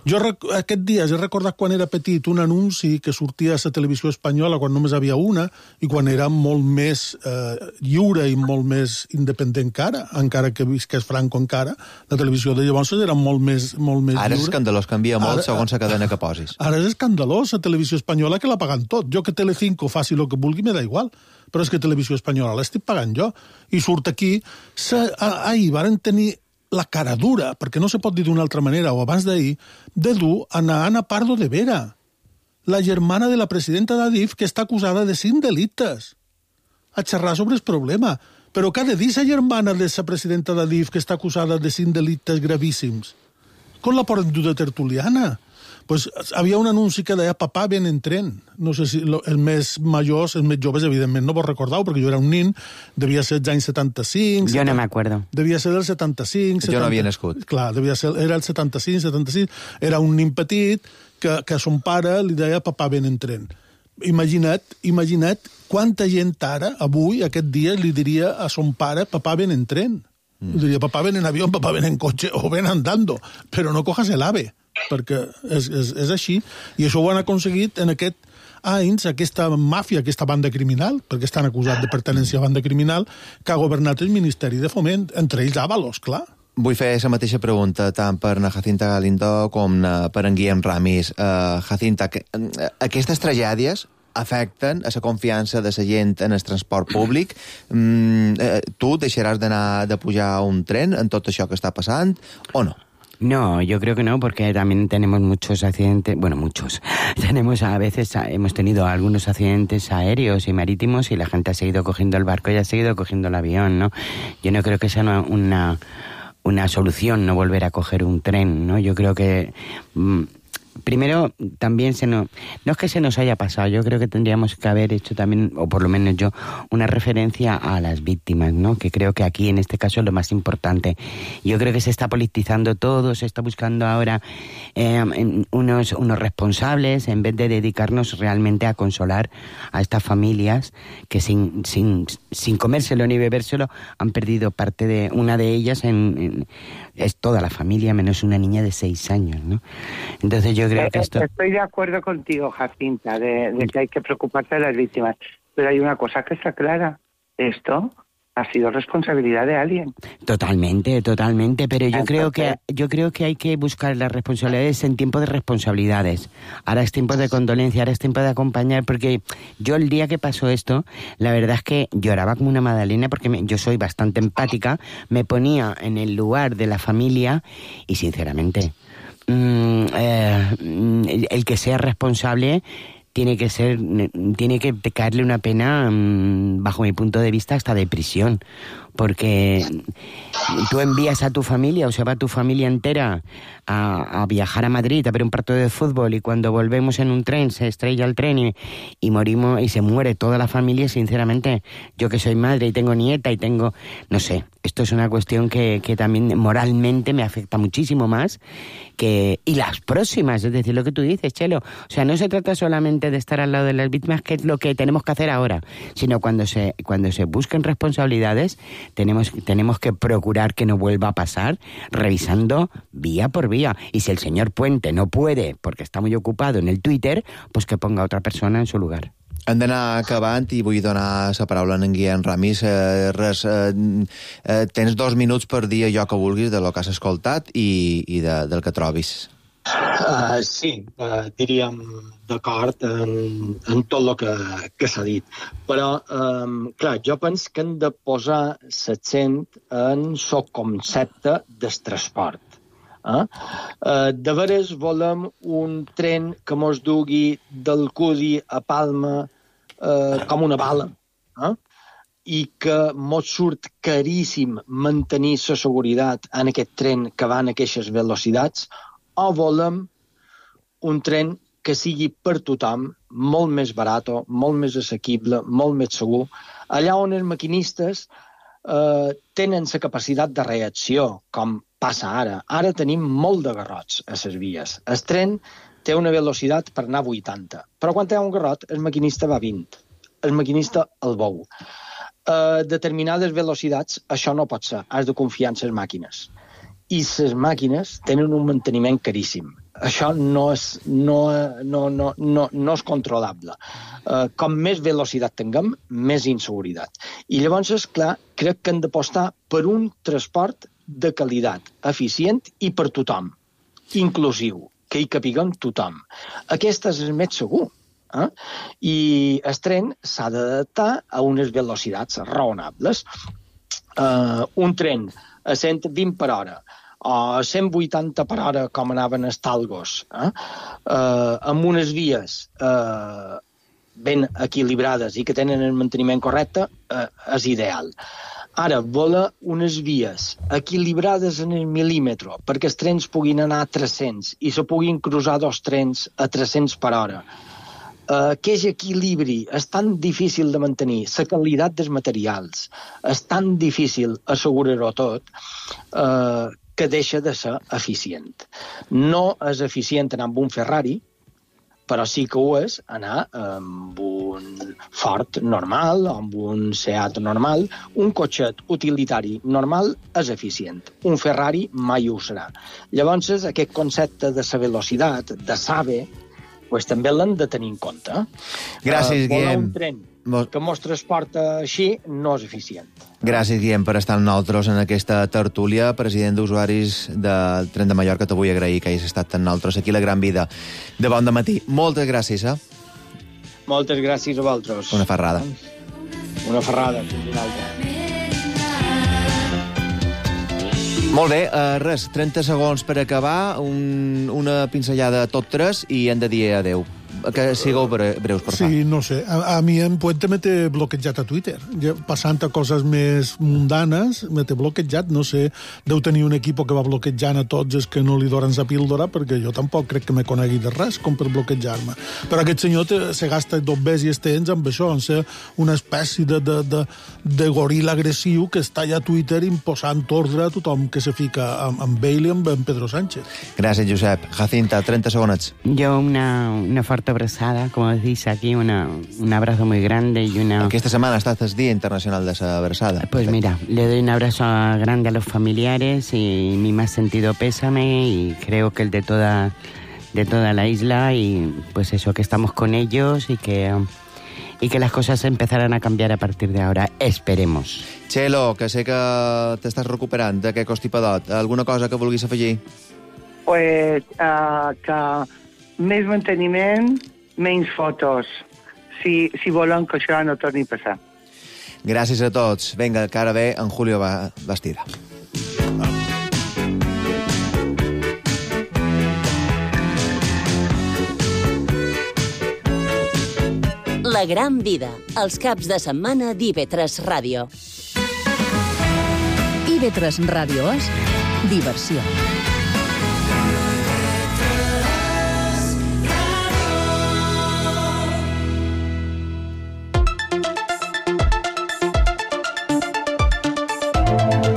Jo aquest dia he recordat quan era petit un anunci que sortia a la televisió espanyola quan només havia una i quan era molt més eh, lliure i molt més independent que ara, encara que visqués Franco encara, la televisió de llavors era molt més, molt més ara lliure. És escandalós, canvia molt ara, segons la cadena que posis. Ara és escandalós la televisió espanyola que la paguen tot. Jo que Telecinco faci el que vulgui me da igual, però és que televisió espanyola l'estic pagant jo. I surt aquí, se, ahir varen tenir la cara dura, perquè no se pot dir d'una altra manera, o abans d'ahir, de dur a Ana Pardo de Vera, la germana de la presidenta d'Adif, que està acusada de cinc delictes, a xerrar sobre el problema. Però què ha de dir la germana de la presidenta d'Adif, que està acusada de cinc delictes gravíssims? Com la poden dur de tertuliana? Pues havia un anunci que deia papà ven en tren. No sé si els més majors, els més joves, evidentment, no vos recordeu, perquè jo era un nin, devia ser els anys setanta-cinc... Jo no m'acuerdo. Devia ser del setanta-cinc... Jo no havia nascut. Clar, devia ser, era el setanta-cinc, setanta-sis... Era un nin petit que, que a son pare li deia papà ven en tren. Imagina't, imagina't quanta gent ara, avui, aquest dia, li diria a son pare papà ven en tren. Mm. Li diria papà ven en avió, papà ven en cotxe o ven andando, però no cojas el ave, perquè és, és, és així, i això ho han aconseguit en aquest anys, aquesta màfia, aquesta banda criminal, perquè estan acusats de pertenència a banda criminal, que ha governat el Ministeri de Foment, entre ells Ábalos, clar. Vull fer la mateixa pregunta tant per na Jacinta Galindo com na, per en Guillem Ramis. Uh, Jacinta, que, uh, aquestes tragèdies afecten a la confiança de la gent en el transport públic. Mm, uh, tu deixaràs d'anar de pujar a un tren en tot això que està passant o no? No, yo creo que no, porque también tenemos muchos accidentes, bueno, muchos. Tenemos a veces, hemos tenido algunos accidentes aéreos y marítimos y la gente ha seguido cogiendo el barco y ha seguido cogiendo el avión, ¿no? Yo no creo que sea una, una, una solución no volver a coger un tren, ¿no? Yo creo que... Mmm, primero, también se nos, no es que se nos haya pasado, yo creo que tendríamos que haber hecho también, o por lo menos yo, una referencia a las víctimas, ¿no? Que creo que aquí, en este caso, es lo más importante. Yo creo que se está politizando todo, se está buscando ahora eh, unos, unos responsables, en vez de dedicarnos realmente a consolar a estas familias que sin, sin, sin comérselo ni bebérselo han perdido parte de, una de ellas en, en, es toda la familia, menos una niña de seis años, ¿no? Entonces yo creo que esto... Estoy de acuerdo contigo, Jacinta, de, de que hay que preocuparse de las víctimas. Pero hay una cosa que está clara. Esto ha sido responsabilidad de alguien. Totalmente, totalmente. Pero yo creo que yo creo que hay que buscar las responsabilidades en tiempo de responsabilidades. Ahora es tiempo de condolencia, ahora es tiempo de acompañar, porque yo el día que pasó esto, la verdad es que lloraba como una magdalena, porque me, yo soy bastante empática, me ponía en el lugar de la familia y sinceramente... Mm, eh, el, el que sea responsable tiene que ser tiene que caerle una pena mm, bajo mi punto de vista hasta de prisión, porque tú envías a tu familia o se va tu familia entera a, a viajar a Madrid a ver un partido de fútbol y cuando volvemos en un tren se estrella el tren y, y morimos y se muere toda la familia. Sinceramente, yo que soy madre y tengo nieta y tengo, no sé, esto es una cuestión que, que también moralmente me afecta muchísimo más que y las próximas, es decir, lo que tú dices, Chelo, o sea, no se trata solamente de estar al lado de las víctimas, que es lo que tenemos que hacer ahora, sino cuando se cuando se busquen responsabilidades tenemos tenemos que procurar que no vuelva a pasar, revisando vía por vía, y si el señor Puente no puede porque está muy ocupado en el Twitter, pues que ponga a otra persona en su lugar. Hem d'anar acabant i vull donar la paraula a en Guillem Ramis. Eh, res, eh, eh, tens dos minuts per dir allò que vulguis de lo que has escoltat i, i de, del que trobis. Uh, sí, uh, diríem d'acord en, en tot el que, que s'ha dit. Però, um, clar, jo penso que hem de posar l'accent en el concepte del transport. Eh? Uh, de veres volem un tren que mos dugui d'Alcúdia a Palma uh, com una bala, eh? I que mos surt caríssim mantenir la seguretat en aquest tren que va en aquestes velocitats, o volem un tren que sigui per tothom molt més barat, molt més assequible, molt més segur, allà on els maquinistes eh, tenen la capacitat de reacció, com passa ara. Ara tenim molt de garrots a les vies. El tren té una velocitat per anar a vuitanta, però quan hi ha un garrot, el maquinista va a vint. El maquinista el veu. A determinades velocitats això no pot ser, has de confiar en les màquines. i les màquines tenen un manteniment caríssim. Això no és, no, no, no, no, no és controlable. Uh, com més velocitat tinguem, més inseguretat. I llavors, és clar, crec que hem d'apostar per un transport de qualitat, eficient i per tothom, inclusiu, que hi capiguem tothom. Aquest és el més segur. Eh? I el tren s'ha d'adaptar a unes velocitats raonables. Uh, un tren a cent vint per hora o a cent vuitanta per hora, com anaven els talgos, eh? Uh, amb unes vies uh, ben equilibrades i que tenen el manteniment correcte, uh, és ideal. Ara, voler unes vies equilibrades en el mil·límetre perquè els trens puguin anar a tres-cents i se puguin cruzar dos trens a tres-cents per hora. Uh, aquest equilibri és tan difícil de mantenir, la qualitat dels materials, és tan difícil assegurar-ho tot, uh, que deixa de ser eficient. No és eficient anar amb un Ferrari, però sí que ho és anar amb un Ford normal o amb un Seat normal. Un cotxet utilitari normal és eficient. Un Ferrari mai ho serà. Llavors, aquest concepte de la velocitat, de saber, pues, també l'hem de tenir en compte. Gràcies, uh, Guillem. Un tren que mos transporta així no és eficient. Gràcies, Guillem, per estar amb nosaltres en aquesta tertúlia. President d'usuaris del Tren de Mallorca, te vull agrair que hagis estat amb nosaltres aquí a La Gran Vida de bon dematí. Moltes gràcies, eh? Moltes gràcies a vosaltres. Una ferrada. Una ferrada. Una altra. Molt bé, uh, res, trenta segons per acabar, un, una pinzellada a tot tres i hem de dir adeu. Que sigueu bre breus, per favor. Sí, no sé. A, a mi en Puente me té bloquejat a Twitter. Ja, passant a coses més mundanes, me té bloquejat. No sé, deu tenir un equip que va bloquejant a tots els que no li donen la píldora, perquè jo tampoc crec que me conegui de res com per bloquejar-me. Però aquest senyor te, se gasta dos bes i estens amb això, en ser una espècie de, de, de, de goril·la agressiu que està allà a Twitter imposant ordre a tothom que se fica amb, amb ell i amb en Pedro Sánchez. Gràcies, Josep. Jacinta, trenta segonets. Jo una, una forta abrazada, como decís aquí, una, un abrazo muy grande y una... Esta semana está el Día Internacional de esa abrazada. Pues mira, le doy un abrazo grande a los familiares y mi más sentido pésame y creo que el de toda, de toda la isla y pues eso, que estamos con ellos y que, y que las cosas empezarán a cambiar a partir de ahora. Esperemos. Txelo, que sé que t'estàs recuperant d'aquest constipadot. Alguna cosa que vulguis afegir? Pues uh, que més manteniment, menys fotos, si, si volen que això no torni a passar. Gràcies a tots. Vinga, que ara ve en Julio Bastida. La Gran Vida, els caps de setmana d'I V tres Ràdio. I V tres Ràdio és diversió.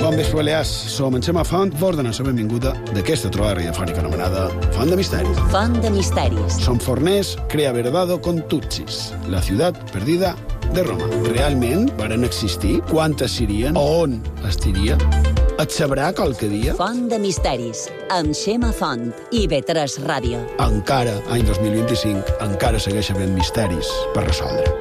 Bon vespre, Balears. Som en Xema Font, vos donem la benvinguda d'aquesta trobada radiofònica anomenada Font de Misteris. Font de Misteris. Som forners, crea verdado con tutsis, la ciutat perdida de Roma. Realment varen existir? Quantes serien? On estiria? Et sabrà qualque dia? Font de Misteris, amb Xema Font, I V tres Ràdio. Encara, any dos mil vint-i-cinc, encara segueix havent misteris per resoldre.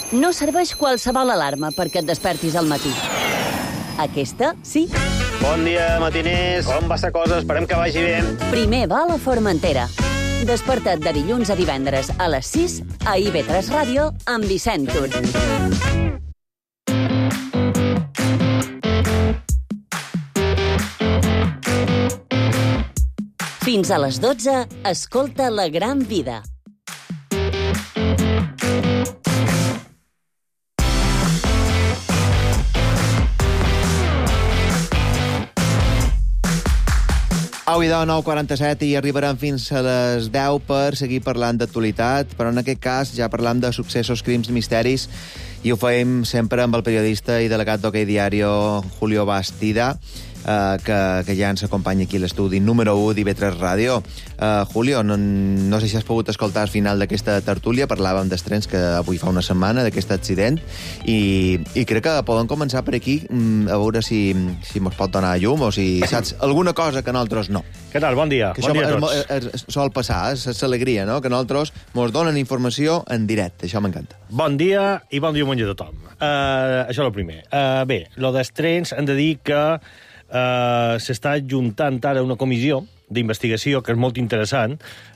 No serveix qualsevol alarma perquè et despertis al matí. Aquesta, sí. Bon dia, matiners. Com va la cosa? Esperem que vagi bé. Primer vol a Formentera. Desperta't de dilluns a divendres a les sis a I V tres Ràdio amb Vicent Tur. Fins a les dotze, escolta La Gran Vida. Au, i de nou quaranta-set i arribarem fins a les deu per seguir parlant d'actualitat, però en aquest cas ja parlam de successos, crims, misteris, i ho fem sempre amb el periodista i delegat d'Hockey Diario, Julio Bastida. uh, que, que ja ens acompanya aquí a l'estudi número u d'I V tres Ràdio. Uh, Julio, no, no sé si has pogut escoltar al final d'aquesta tertúlia, parlàvem dels trens que avui fa una setmana, d'aquest accident, i, i crec que poden començar per aquí a veure si, si mos pot donar llum o si saps alguna cosa que nosaltres no. Què tal? Bon dia. Que bon dia a tots. Es, es, es, sol passar, és l'alegria, no? Que nosaltres mos donen informació en directe. Això m'encanta. Bon dia i bon dia a tothom. Uh, això és el primer. Uh, bé, lo dels trens hem de dir que uh, s'està juntant ara una comissió d'investigació que és molt interessant,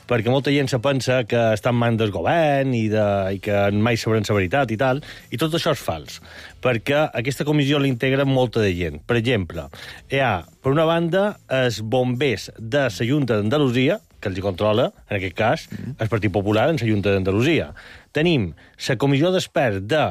perquè molta gent se pensa que està en mans del govern i, de, i que mai sabrem la veritat i tal, i tot això és fals, perquè aquesta comissió l'integra molta de gent. Per exemple, hi ha, per una banda, els bombers de la Junta d'Andalusia, que els hi controla, en aquest cas, el Partit Popular en la Junta d'Andalusia. Tenim la comissió d'experts de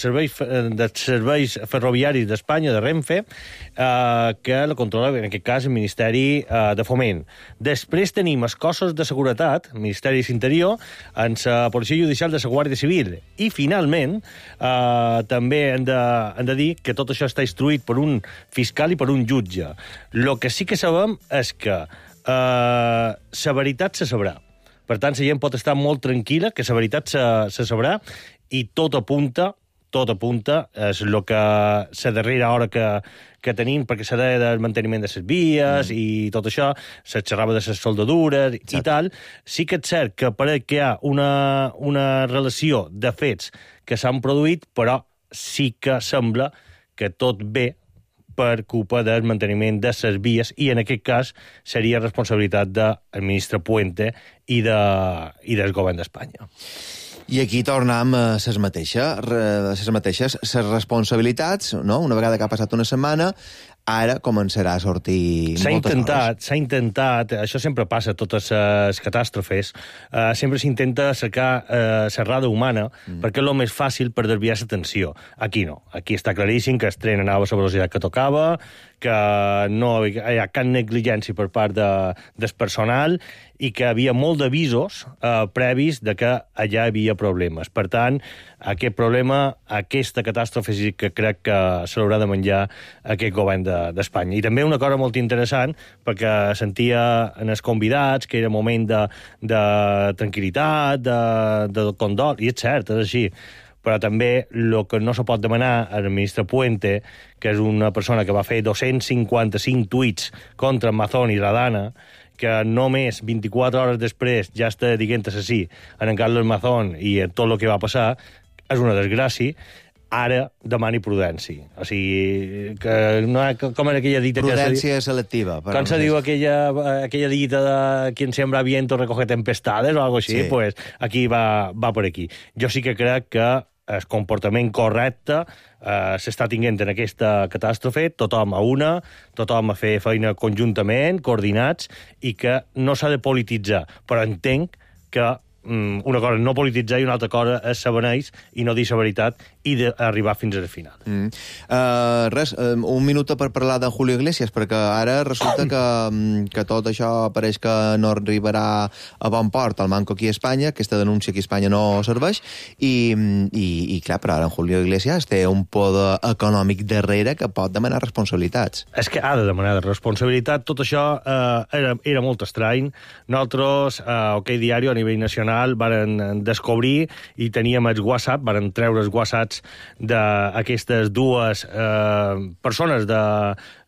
serveis, de serveis ferroviaris d'Espanya, de Renfe, eh, que la controla, en aquest cas, el Ministeri eh, de Foment. Després tenim els cossos de seguretat, el Ministeri d'Interior, en la Policia Judicial de la Guàrdia Civil. I, finalment, eh, també hem de, hem de dir que tot això està instruït per un fiscal i per un jutge. El que sí que sabem és que Uh, la veritat se sabrà. Per tant, la gent pot estar molt tranquil·la que la veritat se, se sabrà i tot apunta, tot apunta, és el que la darrera hora que, que tenim, perquè s'ha de del manteniment de les vies mm. i tot això, se xerrava de les soldadures Exacte. I tal. Sí que és cert que pareix que hi ha una, una relació de fets que s'han produït, però sí que sembla que tot ve per culpa del manteniment de les vies i, en aquest cas, seria responsabilitat del ministre Puente i, de, i del govern d'Espanya. I aquí tornem a les mateixes, les mateixes, les responsabilitats, no? Una vegada que ha passat una setmana, ara començarà a sortir s'ha moltes intentat, hores. S'ha intentat, això sempre passa a totes les catàstrofes, uh, sempre s'intenta cercar uh, serrada humana, mm. perquè és el més fàcil per desviar l'atenció. Aquí no. Aquí està claríssim que el tren anava a la velocitat que tocava, que no hi ha cap negligència per part de, del personal i que hi havia molt d'avisos eh, previs de que allà hi havia problemes. Per tant, aquest problema, aquesta catàstrofe sí que crec que se l'haurà de menjar aquest govern d'Espanya. De, I també una cosa molt interessant, perquè sentia en els convidats que era moment de, de tranquil·litat, de, de condol, i és cert, és així. Però també el que no se pot demanar al ministre Puente, que és una persona que va fer dos-cents cinquanta-cinc tuits contra Mazón i Radana, que només vint-i-quatre hores després ja està dient assassí en Carlos Mazón i tot el que va passar, és una desgràcia. Ara demani prudència. O sigui, que no, com era aquella dita... Prudència que se, selectiva. Com se diu aquella, aquella dita de quien sembra viento recoge tempestades o algo així? Sí. Pues aquí va, va per aquí. Jo sí que crec que el comportament correcte eh, s'està tinguent en aquesta catàstrofe, tothom a una, tothom a fer feina conjuntament, coordinats, i que no s'ha de polititzar. Però entenc que una cosa no polititzar i una altra cosa és saber i no dir la veritat i d'arribar fins al final. Mm. Uh, res, uh, un minut per parlar de Julio Iglesias, perquè ara resulta que, que tot això pareix que no arribarà a bon port al Manco aquí a Espanya, aquesta denúncia aquí a Espanya no serveix, i, i, i clar, però ara en Julio Iglesias té un poder econòmic darrere que pot demanar responsabilitats. És que ha de demanar responsabilitat. Tot això eh, era, era molt estrany. Nosaltres, a eh, OK Diario, a nivell nacional, varen descobrir i teníem els WhatsApp, varen treure els WhatsApps d'aquestes dues eh, persones de,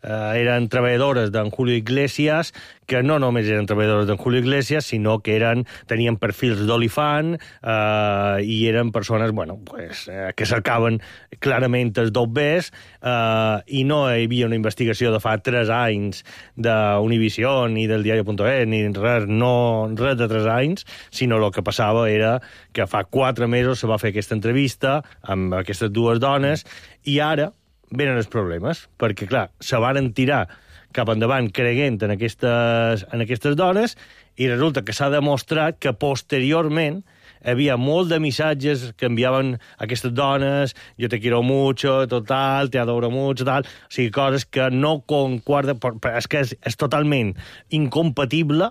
eh, eren treballadores d'en Julio Iglesias, que no només eren treballadores d'en Julio Iglesias, sinó que eren, tenien perfils d'olifant eh, i eren persones, bueno, pues, eh, que cercaven clarament els dobbers eh, i no hi havia una investigació de fa tres anys d'Univision ni del diario punto es ni res, no, res de tres anys, sinó el que passava era que fa quatre mesos se va fer aquesta entrevista amb aquestes dues dones i ara venen els problemes, perquè, clar, se van tirar cap endavant creient en aquestes, en aquestes dones i resulta que s'ha demostrat que posteriorment hi havia molt de missatges que enviaven aquestes dones, jo te quiero mucho, total, te adoro mucho, tal, o sigui, coses que no concorda, és que és, és totalment incompatible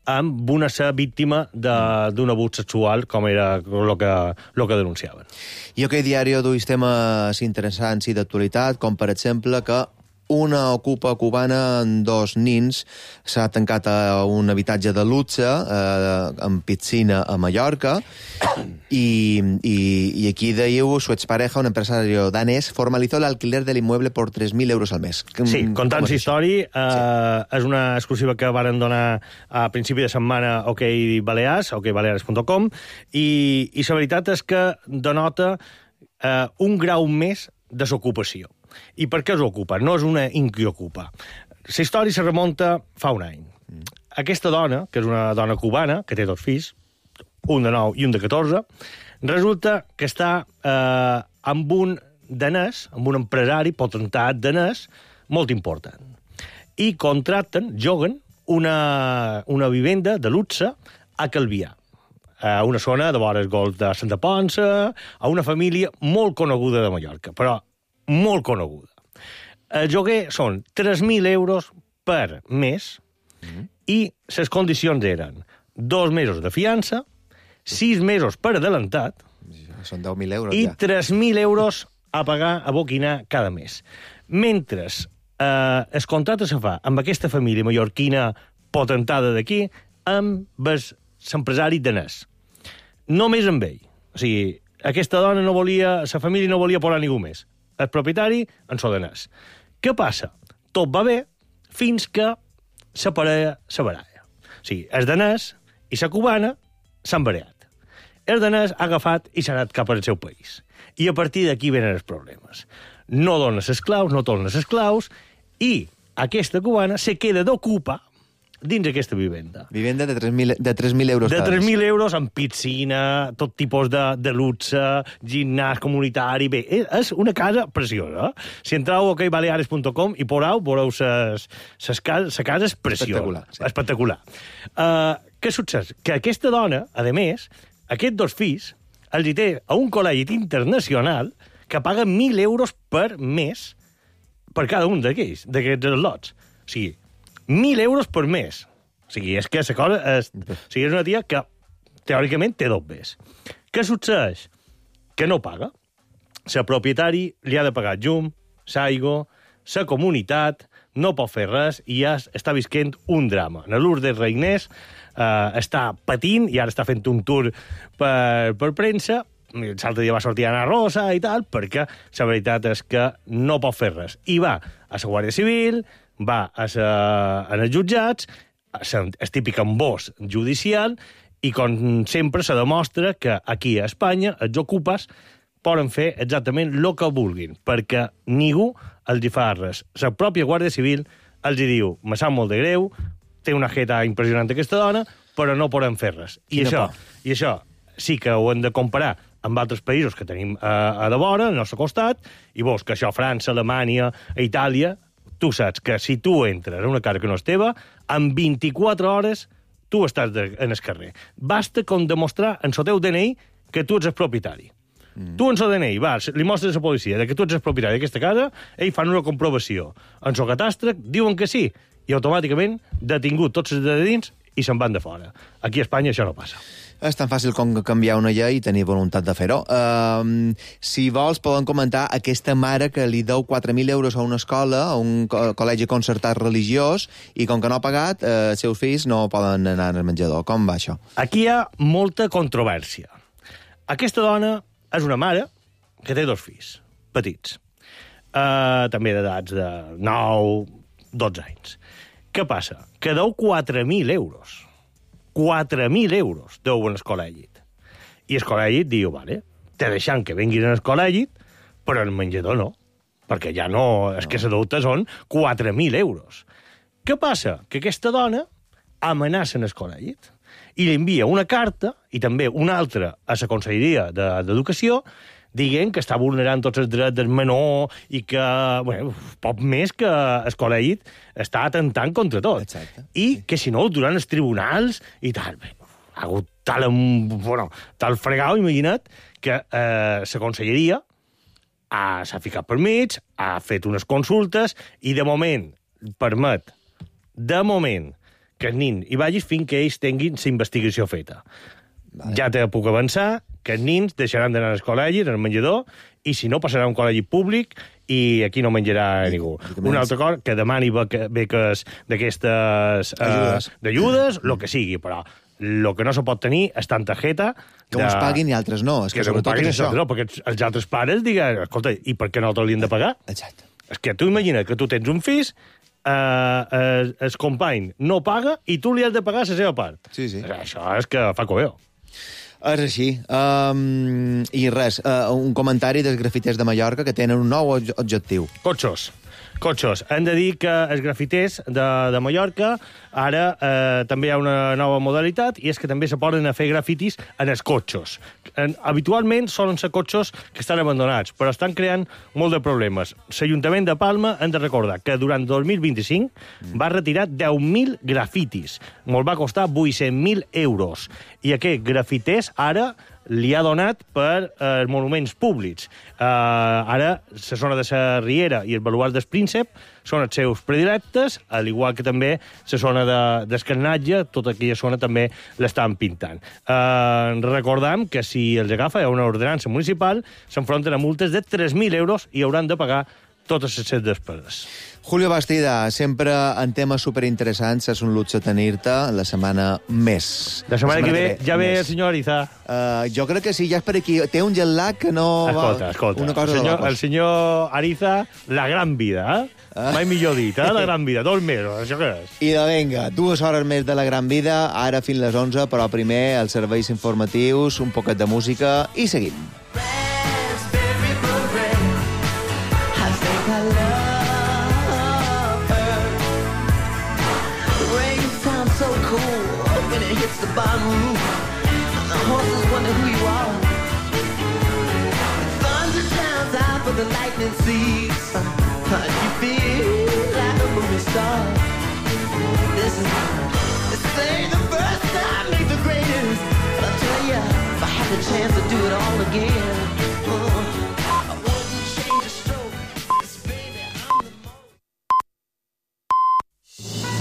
amb una ser víctima d'un abús sexual, com era el que, lo que denunciaven. I OK Diario duis temes interessants i d'actualitat, com per exemple que una ocupa cubana amb dos nins. S'ha tancat a un habitatge de luxe eh, amb piscina a Mallorca y, y, y aquí diu su expareja, un empresario danés, formalizó el alquiler del inmueble por tres mil euros al mes. Sí, contant la història, eh, sí. És una exclusiva que varen donar a principi de setmana a OK Balears, ok balears punt com, i, i la veritat és que denota eh, un grau més de s'ocupació. I per què s'ocupa? No és una inquiocupa. La història se remunta fa un any. Mm. Aquesta dona, que és una dona cubana, que té dos fills, un de nou i un de catorze, resulta que està eh, amb un danès, amb un empresari potentat danès molt important. I contracten, joguen, una, una vivenda de luxe a Calvià, a una zona de vores golf de Santa Ponça, a una família molt coneguda de Mallorca, però molt coneguda. El lloguer són tres mil euros per mes mm. i les condicions eren dos mesos de fiança, sis mesos per adelantat, són deu mil euros, i ja. tres mil euros a pagar, a boquinar cada mes. Mentre eh, el contracte se fa amb aquesta família mallorquina potentada d'aquí, amb l'empresari danès. Només amb ell. O sigui, aquesta dona no volia, la família no volia posar ningú més. El propietari en so danès. Què passa? Tot va bé fins que la parella se baralla. O sigui, el danès i la cubana s'han barallat. El danès ha agafat i s'ha anat cap al seu país. I a partir d'aquí venen els problemes. No dona les claus, no torna les claus, i aquesta cubana se queda d'ocupar dins aquesta vivenda. Vivenda de tres mil, de tres mil euros. De tres mil euros amb piscina, tot tipus de, de luxe, gimnàs comunitari... Bé, és una casa preciosa. Si entreu a ok balears punt com i porau, veureu ses, ses cases, sa casa és preciosa. Espectacular. Sí. Espectacular. Uh, què succeeix? Que aquesta dona, a més, aquests dos fills, els hi té a un col·legi internacional que paga mil euros per mes per cada un d'aquells, d'aquests lots. O sigui, mil euros per mes. O sigui, és que la cosa és... O sigui, és una tia que, teòricament, té dobles. Què succeeix? Que no paga. La propietari li ha de pagar llum, l'aigua, la comunitat, no pot fer res i ja està visquent un drama. En Lourdes Reinés eh, està patint i ara està fent un tour per, per premsa. L'altre dia va sortir Ana Rosa i tal, perquè la veritat és que no pot fer res. I va a la Guàrdia Civil, va a sa, a els jutjats, és típic embós judicial, i com sempre se demostra que aquí a Espanya els ocupes poden fer exactament el que vulguin, perquè ningú els hi fa res. La pròpia Guàrdia Civil els hi diu, me sap molt de greu, té una jeta impressionant aquesta dona, però no poden fer res. I això, I això sí que ho hem de comparar amb altres països que tenim a, a de vora, al nostre costat, i veus que això, França, Alemanya, Itàlia, tu saps que si tu entres a una casa que no és teva, en vint-i-quatre hores tu estàs de, en el carrer. Basta com demostrar en el teu D N I que tu ets el propietari. Mm. Tu en el D N I vas, li mostres a la policia que tu ets el propietari d'aquesta casa, ells fan una comprovació. En el catàstre diuen que sí, i automàticament detingut tots els de dins i se'n van de fora. Aquí a Espanya això no passa. És tan fàcil com canviar una llei i tenir voluntat de fer-ho. Uh, si vols, poden comentar aquesta mare que li deu quatre mil euros a una escola, a un co col·legi concertat religiós, i com que no ha pagat, eh, els seus fills no poden anar al menjador. Com va això? Aquí hi ha molta controvèrsia. Aquesta dona és una mare que té dos fills, petits. Uh, també d'edats de nou, dotze anys. Què passa? Que deu quatre mil euros. quatre mil euros deuen al col·legit. I el col·legit diu, vale, te deixant que venguin al col·legit, però el menjador no, perquè ja no, és que la deuta són quatre mil euros. Què passa? Que aquesta dona amenaça el col·legit i li envia una carta, i també una altra a la Conselleria d'Educació, dient que està vulnerant tots els drets del menor i que, bueno, poc més que el col·legit està atentant contra tot. Exacte. I que, si no, durant els tribunals i tal, bé, ha hagut tal, bueno, tal fregau, imagina't, que eh, la conselleria s'ha ficat per mig, ha fet unes consultes i, de moment, permet, de moment, que el nin hi vagis fins que ells tinguin la investigació feta. Vale. Ja te puc avançar que els nins deixaran d'anar al col·legi, al menjador, i si no, passarà a un col·legi públic i aquí no menjarà ningú. Un altre cor, que demani beques d'aquestes... Ajudes. D'ajudes, el que sigui, però el que no se pot tenir és tanta targeta... Que uns paguin i altres no. És que, que sobretot és això. No, perquè els altres pares diguen, escolta, i per què nosaltres li hem de pagar? Exacte. És que tu imagina que tu tens un fills, eh, el, el company no paga i tu li has de pagar la seva part. Sí, sí. Això és que fa coveo. És així. Um, I res, uh, un comentari dels grafiters de Mallorca que tenen un nou objectiu. Cotxos. Cotxos. Hem de dir que els grafiters de, de Mallorca ara eh, també hi ha una nova modalitat i és que també se poden a fer grafitis en els cotxos. En, habitualment solen ser cotxos que estan abandonats, però estan creant molt de problemes. L'Ajuntament de Palma hem de recordar que durant dos mil vint-i-cinc mm. va retirar deu mil grafitis. Molt va costar vuit-cents mil euros. I aquests grafiters ara li ha donat per eh, monuments públics. Eh, ara, la zona de la Riera i el baluard del Príncep són els seus predilectes, al igual que també la zona de, d'Escarnatge, tota aquella zona també l'estan pintant. Eh, recordam que si els agafa hi ha una ordenança municipal, s'enfronten a multes de tres mil euros i hauran de pagar totes les seves despeses. Julio Bastida, sempre en temes superinteressants, és un luxe tenir-te la setmana més. La setmana, la setmana que ve, que ve ja ve el senyor Ariza. Uh, jo crec que sí, ja és per aquí. Té un jet lag que no... Escolta, escolta. Una cosa el, senyor, el senyor Ariza, la gran vida, eh? Ah. Mai millor dit, eh? La gran vida. Dos mesos, això què és? I de venga, dues hores més de la gran vida, ara fins les onze, però primer els serveis informatius, un poquet de música i seguim. The bottom roof, the horses wonder who you are. Thunder sounds out, but the lightning sees. You feel like a movie star. This is, this ain't the first time, ain't the greatest. But I'll tell ya, if I had the chance to do it all again. Uh,